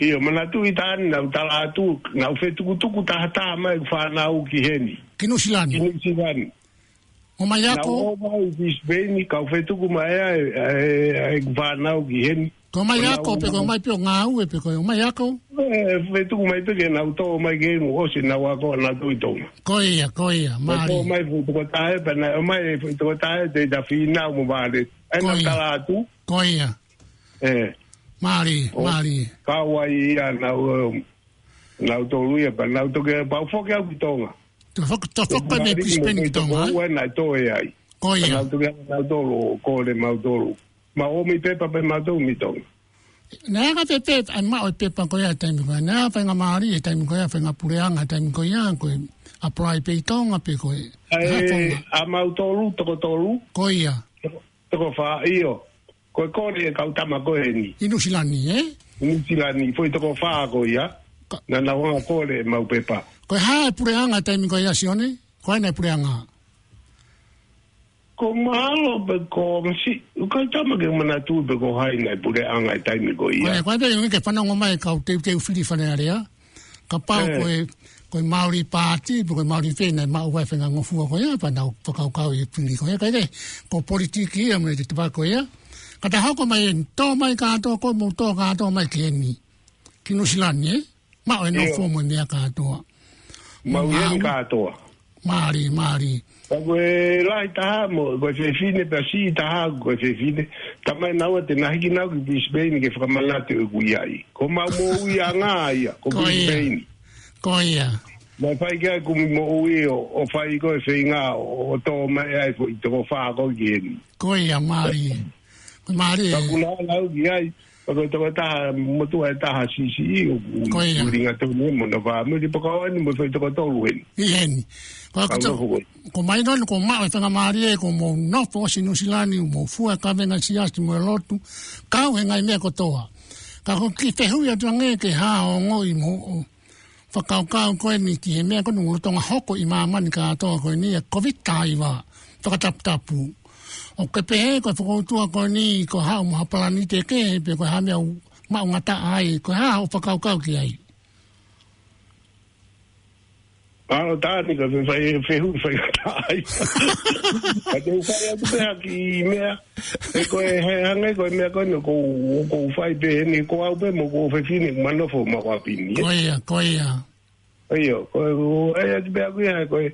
ʻIo, manatuʻi taʻani naʻá ku tala atu, naʻá ku fetukutuku tahataha mai ʻeku fānau ki heni. Ki Nuʻusila ni? Ki Nuʻusila ni. ʻO mai ako? Naʻá ku ō mai ki Brisbane, kau fetuku mai ai, e, e, ʻeku fānau ki heni. Ko e mai ako, pe ko e mai pē ʻo ngāue, pe ko e mai ako? E, fetuku mai pē ke nau tō mai ki heni, ʻosi naʻá ku ako naʻá ku ʻi Tonga. Ko ia, ko ia, mālie. Tō mai foʻi tokotaha, pea naʻe ō mai foʻi tokotaha, te ta fina mo vale. ʻAi naʻá ku tala atu. Ko ia. E. Mālie, mālie. Kau ai ia nau, e, nautolu ia, pea nau toki, pea u foki au ki Tonga. Tau foki, tau foki pē mei Brisbane ki Tonga, e? Ua naʻe tō ai. Ko ia. Pea nau toki, nautolu, kole mautolu. Mau ō mei pepa pē mautolu mei Tonga. Naʻe ʻikai pē, ʻai maʻu e pepa ko ia he taimi ko ia. Naʻe ʻi ai e faingamālie he taimi ko ia, fainga puleʻanga he taimi ko ia, ko e apply pē ʻi Tonga pē ko e. ʻAi, ʻa mautolu, toko tolu. Ko ia. Toko fā, ʻio. Ko e kole e kau tama ko eni. ʻI Nuʻusila ni, e? Nuʻusila ni, foʻi toko fā ko ia. Naʻa nau hanga kole ʻemau pepa. Ko e hā e puleʻanga taimi ko ia, Sione? Ko hai naʻe puleʻanga? Ko Malo pe ko Masi, ʻoku ʻikai tama ke manatu pe ko hai naʻe puleʻanga he taimi ko ia. Ko e, ko e, ʻoku ʻikai ke fanongo mai kau teuteu fili Fale Alea. Kapau ko e, ko e Maori Party, pe ko e Maori fē naʻe maʻu ai e faʻahinga ngofua ko ia, pea nau fakakaukau e fili ko ia, kae kehe, ko e politiki ia mo e te tapa ko ia. Ka ta hoko mai eni, tō mai kātoa, ko e mou tō kātoa mai ki heni. Ki Nuʻusila ni, e? Maʻu e nofo mo e meʻa kātoa. Mau ʻi heni kātoa. Mālie, mālie. Ka ko e lahi taha mo, ko e fefine pea siʻi taha ko e fefine. Tamai naua te na hiki nau ki Brisbane ke fakamanatu ʻeku ʻi ai. Ko mau moʻuiʻanga ia, ko Brisbane. Ko ia. Naʻe fai ki ai kumi moʻui ʻo, ʻo fai ko e feinga ʻo, ʻo tō mai ai foʻi toko fā ko ē ki heni. Ko ia, mālie. Mālie. Ka kuna ʻalu ki ai, Pea ko e toko taha, motuʻa ʻe taha siʻisiʻi, ʻoku ʻuhinga tonu mo hono fāmili, pea ko eni mo e foʻi toko tolu eni. ʻI heni. Ko e toko, ko mai noni ko maʻu e faingamālie ko mou nofo ʻosi Nuʻusila ni, mou fua e kavenga siasi mo e lotu, kau he ngaahi meʻa kotoa. Ka ko e kiʻi fehuʻi atu ange ke hā ongoʻi mo fakakaukau ko eni ki he meʻa ko eni ʻoku lolotonga hoko ʻi māmani kātoa ko eni ʻa e Kōviti taha hiva fakataputapu. ʻOku ke pehē ko e fokoutua ko eni ko e haʻu mo ha palani kehe pe ko e hā e meʻa ʻoku maʻungataʻa ai, ko e hā hoʻo fakakaukau ki ai? ʻAlo taʻani ka fefai, fehuʻi faingataʻa ai. Ka te u fai atu pē ha kiʻi meʻa. He ko e, he hangē ko e meʻa ko eni ʻoku ou, ʻoku ou fai pē eni ko au pē mo hoku fefine ʻoku ma nofo ʻi maʻu ʻapi ni, e? Ko ia, ko ia. ʻIo, ko e, ko e, ʻai atu pē ʻaku ia, ko e,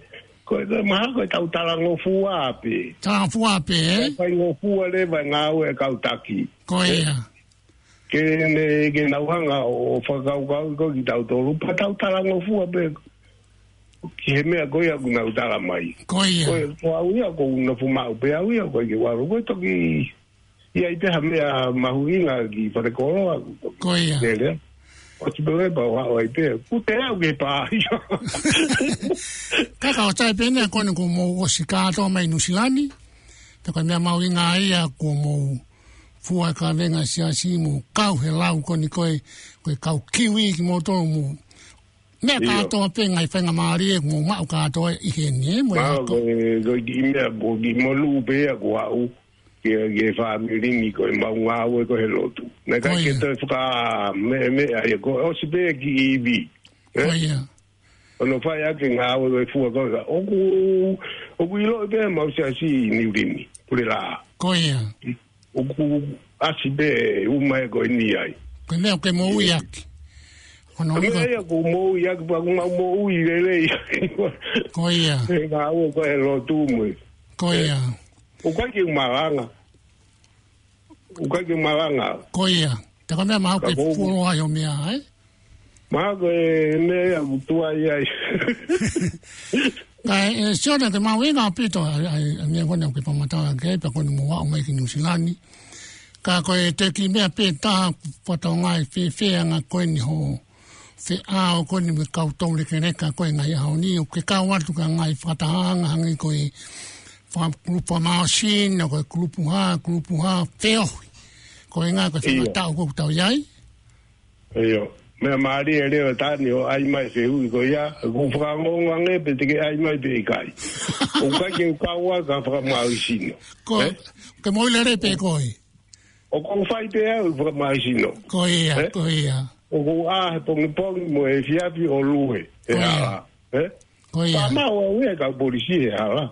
ko e, ko e mahalo ko e tau talangofua pē. Talangofua pē, e? Faingofua leva e ngāue e kau taki. Ko ia. Ke ne, ke nau hanga ʻo fakakaukau ko kitautolu, pea tau talangofua pē. ki he meʻa ko ia ʻoku nau tala mai. Ko ia. Ko e, ko au ia, ʻoku ou nofo maʻu pē au ia, ʻoku ʻikai ke u ʻalu. Ko e toki, ʻi ai pē ha meʻa mahuʻinga ki falekoloa. Ko ia. Lele. ʻOsi pē leva ʻo haʻu ai pē. Kuo te au ke pā ia. Ka ka ʻosi ai pē ʻeni ko eni kuo mou ʻosi kātoa mai Nuʻusila ni. Pea ko e meʻa mahuʻinga ia kuo mou fua e kavenga Siasi mo kau he lau ko eni ko e, ko e kau kiwi kimoutolu mo. Meʻa ʻIo. Kātoa pē ngaahi faingamālie kuo mou maʻu kātoa ʻi heni, ē, mo e Mā, ako. Ko e, ko e kiʻi meʻa, ko e kiʻi monū pē ia kuo aʻu ki he, ki he fāmili ni ko e mau ngāue ko e he lotu. Naʻe ʻikai Ko ke ia. Toe faka-, meʻa, meʻa, ia ko e ʻosi pē ki ivi. Ē? Ko ia. ʻO nau fai ʻaki e ngāue ko e fua ko ia. ʻOku, ʻoku ʻiloʻi pē mau Siasi ʻi Niu Lini. Pule lā. Ko ia. ʻOku ʻasi pē uma e ko eni ai. Ko e meʻa ʻoku ke moʻui ʻaki. Ko hono Ko e meʻa ʻuhinga ia ʻoku moʻui ʻaki, pea ʻoku mau moʻui lelei. Ko ia. He ngāue ko e he lotu mo e. Ko ia. ʻOku ʻikai ke u malanga. ʻOku ʻikai ke u malanga. Ko ia. Te ko e meʻa maʻu ke Ka ko fulo ai ʻo meʻa, ē? Mā ko e meʻa ia ʻoku tuai ai. Ka e, e, Sione, ko e mahuʻinga ʻaupito, ʻa, ʻa, ʻa e meʻa ko eni ʻoku ke fakamatala ki ai, pea ko eni mou aʻu mai ki Nuʻusila ni. Ka ko e toki meʻa pē taha, fatongia ʻe fēfē ʻa e anga ko eni hoʻo feʻao ko eni mo e kau toulekeleka ko e ngaahi ʻaho ni, ʻoku ke kau atu ki he ngaahi fakatahaʻanga hangē ko e faka-, kulupu fakamālohisino, ko e kulupu hā, kulupu hā, feohi. Ko e ʻuhinga ko e ʻIo. Fakatātā ʻoku tau ʻi ai. ʻIo. Meʻa mālie e lea ʻa Tani ʻo ʻai mai e fehuʻi ko ia, ʻoku ou fakaongoongo ange pe te ke ʻai mai pe ʻikai. ʻOku ʻikai ke u kau au ki he fakamālohisino. Ko, Ē? Ke moʻui lelei pē koe. ʻOku ou fai pē au e fakamālohisino. Ko ia, Ē? Ko ia. ʻOku ou ʻā he pongipongi mo e efiafi ʻo luhe. He Ko ia. Hala. Ē? Ko ia. Ka mau au e kau polisi he hala.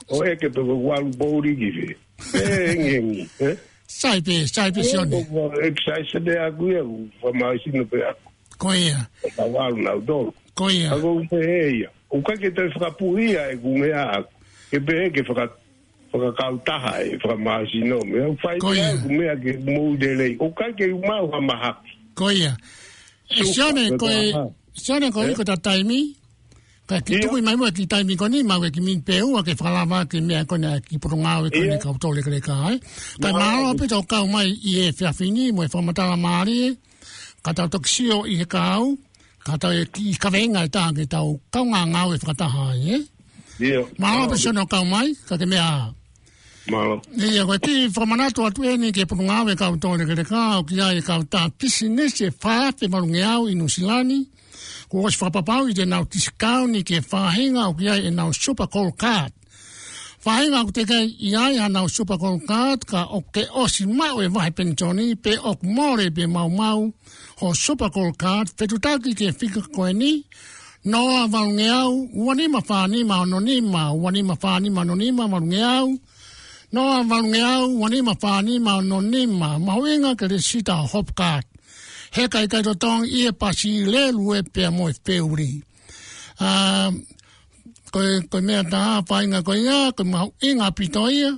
ʻO ʻeke pe ko e ʻalu pouli ki fē. Ē, hengihengi, ē? Sai pē, sai pē, Ē, Sione. Ko e exercise pē ʻaku ia, ʻoku fakamālohisino pē ʻaku. Ko ia. Ka ʻalu nautolu. Ko ia. ʻOku ou pehē ia. ʻOku ʻikai ke toe fakapuʻia ʻeku meʻa ʻaku. Ke pehē ke faka-, fakakautaha e fakamālohisino. Meʻa ʻoku fai Ko pē ia. ʻEku meʻa ke moʻui lelei. ʻOku ʻikai ke u maʻu ha mahaki. Ko ia. ʻE Sione, ko e, Sione, ko e Ē? Ko e taimi, ka ke Ia. Tuku mai mo e kiʻi taimi ko eni, maʻu e kiʻi miniti pē ʻe ua ke fakalava ki he meʻa ko eni ʻa e kiʻi potungāue ko eni Ia. Kau toulekeleka, ē? Ka Mālō. Mālō ʻaupito kau mai ʻi he efiafi ni, mo e fakamatala mālie, ka tau toki sio ʻi he kahaʻu, ka tau e kiʻi kavenga ʻe taha ke tau kaungā ngāue fakataha ai, ē? Ia. Mālō Mālō. Pē Sione ʻo kau mai, ka ke meʻa. Mālō. Ia, ko e kiʻi fakamanatu atu eni ki he potungāue kau toulekeleka, ʻoku ʻi ai e kautaha pisinisi ʻe fā afe valungeau ʻi Nuʻusila ni, kuo ʻosi fakapapauʻi te nau tisikauʻi ki he faʻahinga ʻoku ʻi ai ʻenau Super Gold Card. Faʻahinga ʻoku teʻeki ai ʻi ai haʻanau Super Gold Card, ka ʻoku ke ʻosi maʻu e vahe penisoni, pe ʻoku mole pe maumau hoʻo Super Gold Card, fetuʻutaki ki he fika ko eni, noa valungeau, ua nima fā nima ono nima, ua nima fā nima ono nima, valungeau. Noa valungeau, ua nima fā nima ono nima, mahuʻinga ke lēsisita hoʻo Hop Card. He ʻikai ke totongi ʻi he pasi, lēlue pea mo e feuli. ʻA, ko e, ko e meʻa taha, faʻahinga ko ia, ko e mahuʻinga ʻaupito ia,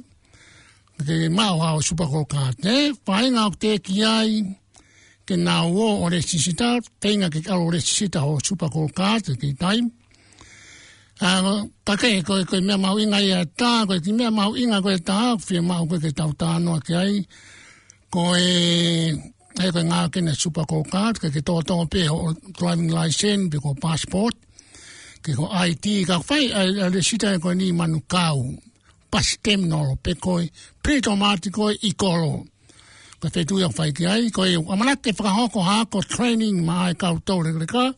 ke maʻu haʻo Super Gold Card, ē? Faʻahinga ʻoku teʻeki ai ke nau ō ʻo lēsisita, feinga ke ʻalu ʻo lēsisita hoʻo Super Gold Card, he kiʻi taimi. ʻA, ka ke, ko e, ko e meʻa mahuʻinga ia ʻe taha, ko e kiʻi meʻa mahuʻinga ko e taha, ʻoku fiemaʻu ko ē ke tau talanoa ki ai. Ko e, he ko e ngāue ko eni ʻa e Super Gold Card, ke, ke tōtō pē hoʻo driving license, pe ko e passport, ke ko e I D, ka fai ʻa e, ʻa e lēsisita ko eni ʻi Manukau. Pasi teminolo pe ko e Pilitomati ko ē ʻi Kolo. Ko e feituʻu ia ʻoku fai ki ai, ko e ʻamanaki ke fakahoko ha ako training maʻa e kau toulekeleka.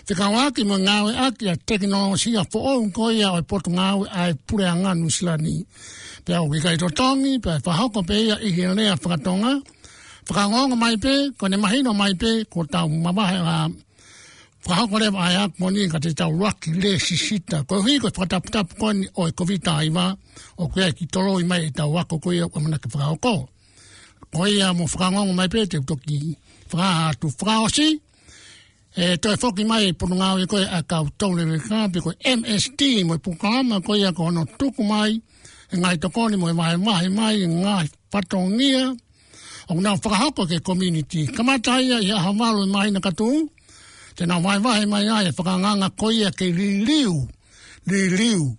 Fekauʻaki mo e ngāueʻaki ʻa e tekinolosia foʻou ko ia ʻo e potungāue ʻa e Puleʻanga Nuʻusila ni. Pea ʻoku ʻikai totongi, pea fakahoko pē ia ʻi he lea faka-Tonga. Fakaongoongo mai pē, ko ʻene mahino mai pē, kuo tau mavahe ʻa fakahoko leva ʻa e ako ko eni ka te tau ʻuluaki lēsisita. Koeʻuhi ko e fakataputapu ko eni ʻo e Kōviti taha hiva, ʻoku ʻi ai e kiʻi toloi mai ʻetau ako ko ia ʻoku ʻamanaki fakahoko. Ko ia mou fakaongoongo mai pē te u toki fakahā atu fakaʻosi. ʻE toe foki mai e potungāue ko ē ʻa e kau toulekeleka pe ko e M S T mo e polokalama ko ia ko hono tuku mai e ngaahi tokoni mo e vahevahe mai e ngaahi fatongia ʻoku nau fakahoko ki he community. Kamata ia ʻi he ʻaho valu ʻo e māhina ka tuʻu, Te nau vahevahe mai ai e fakaangaanga ko ia ke liliu, liliu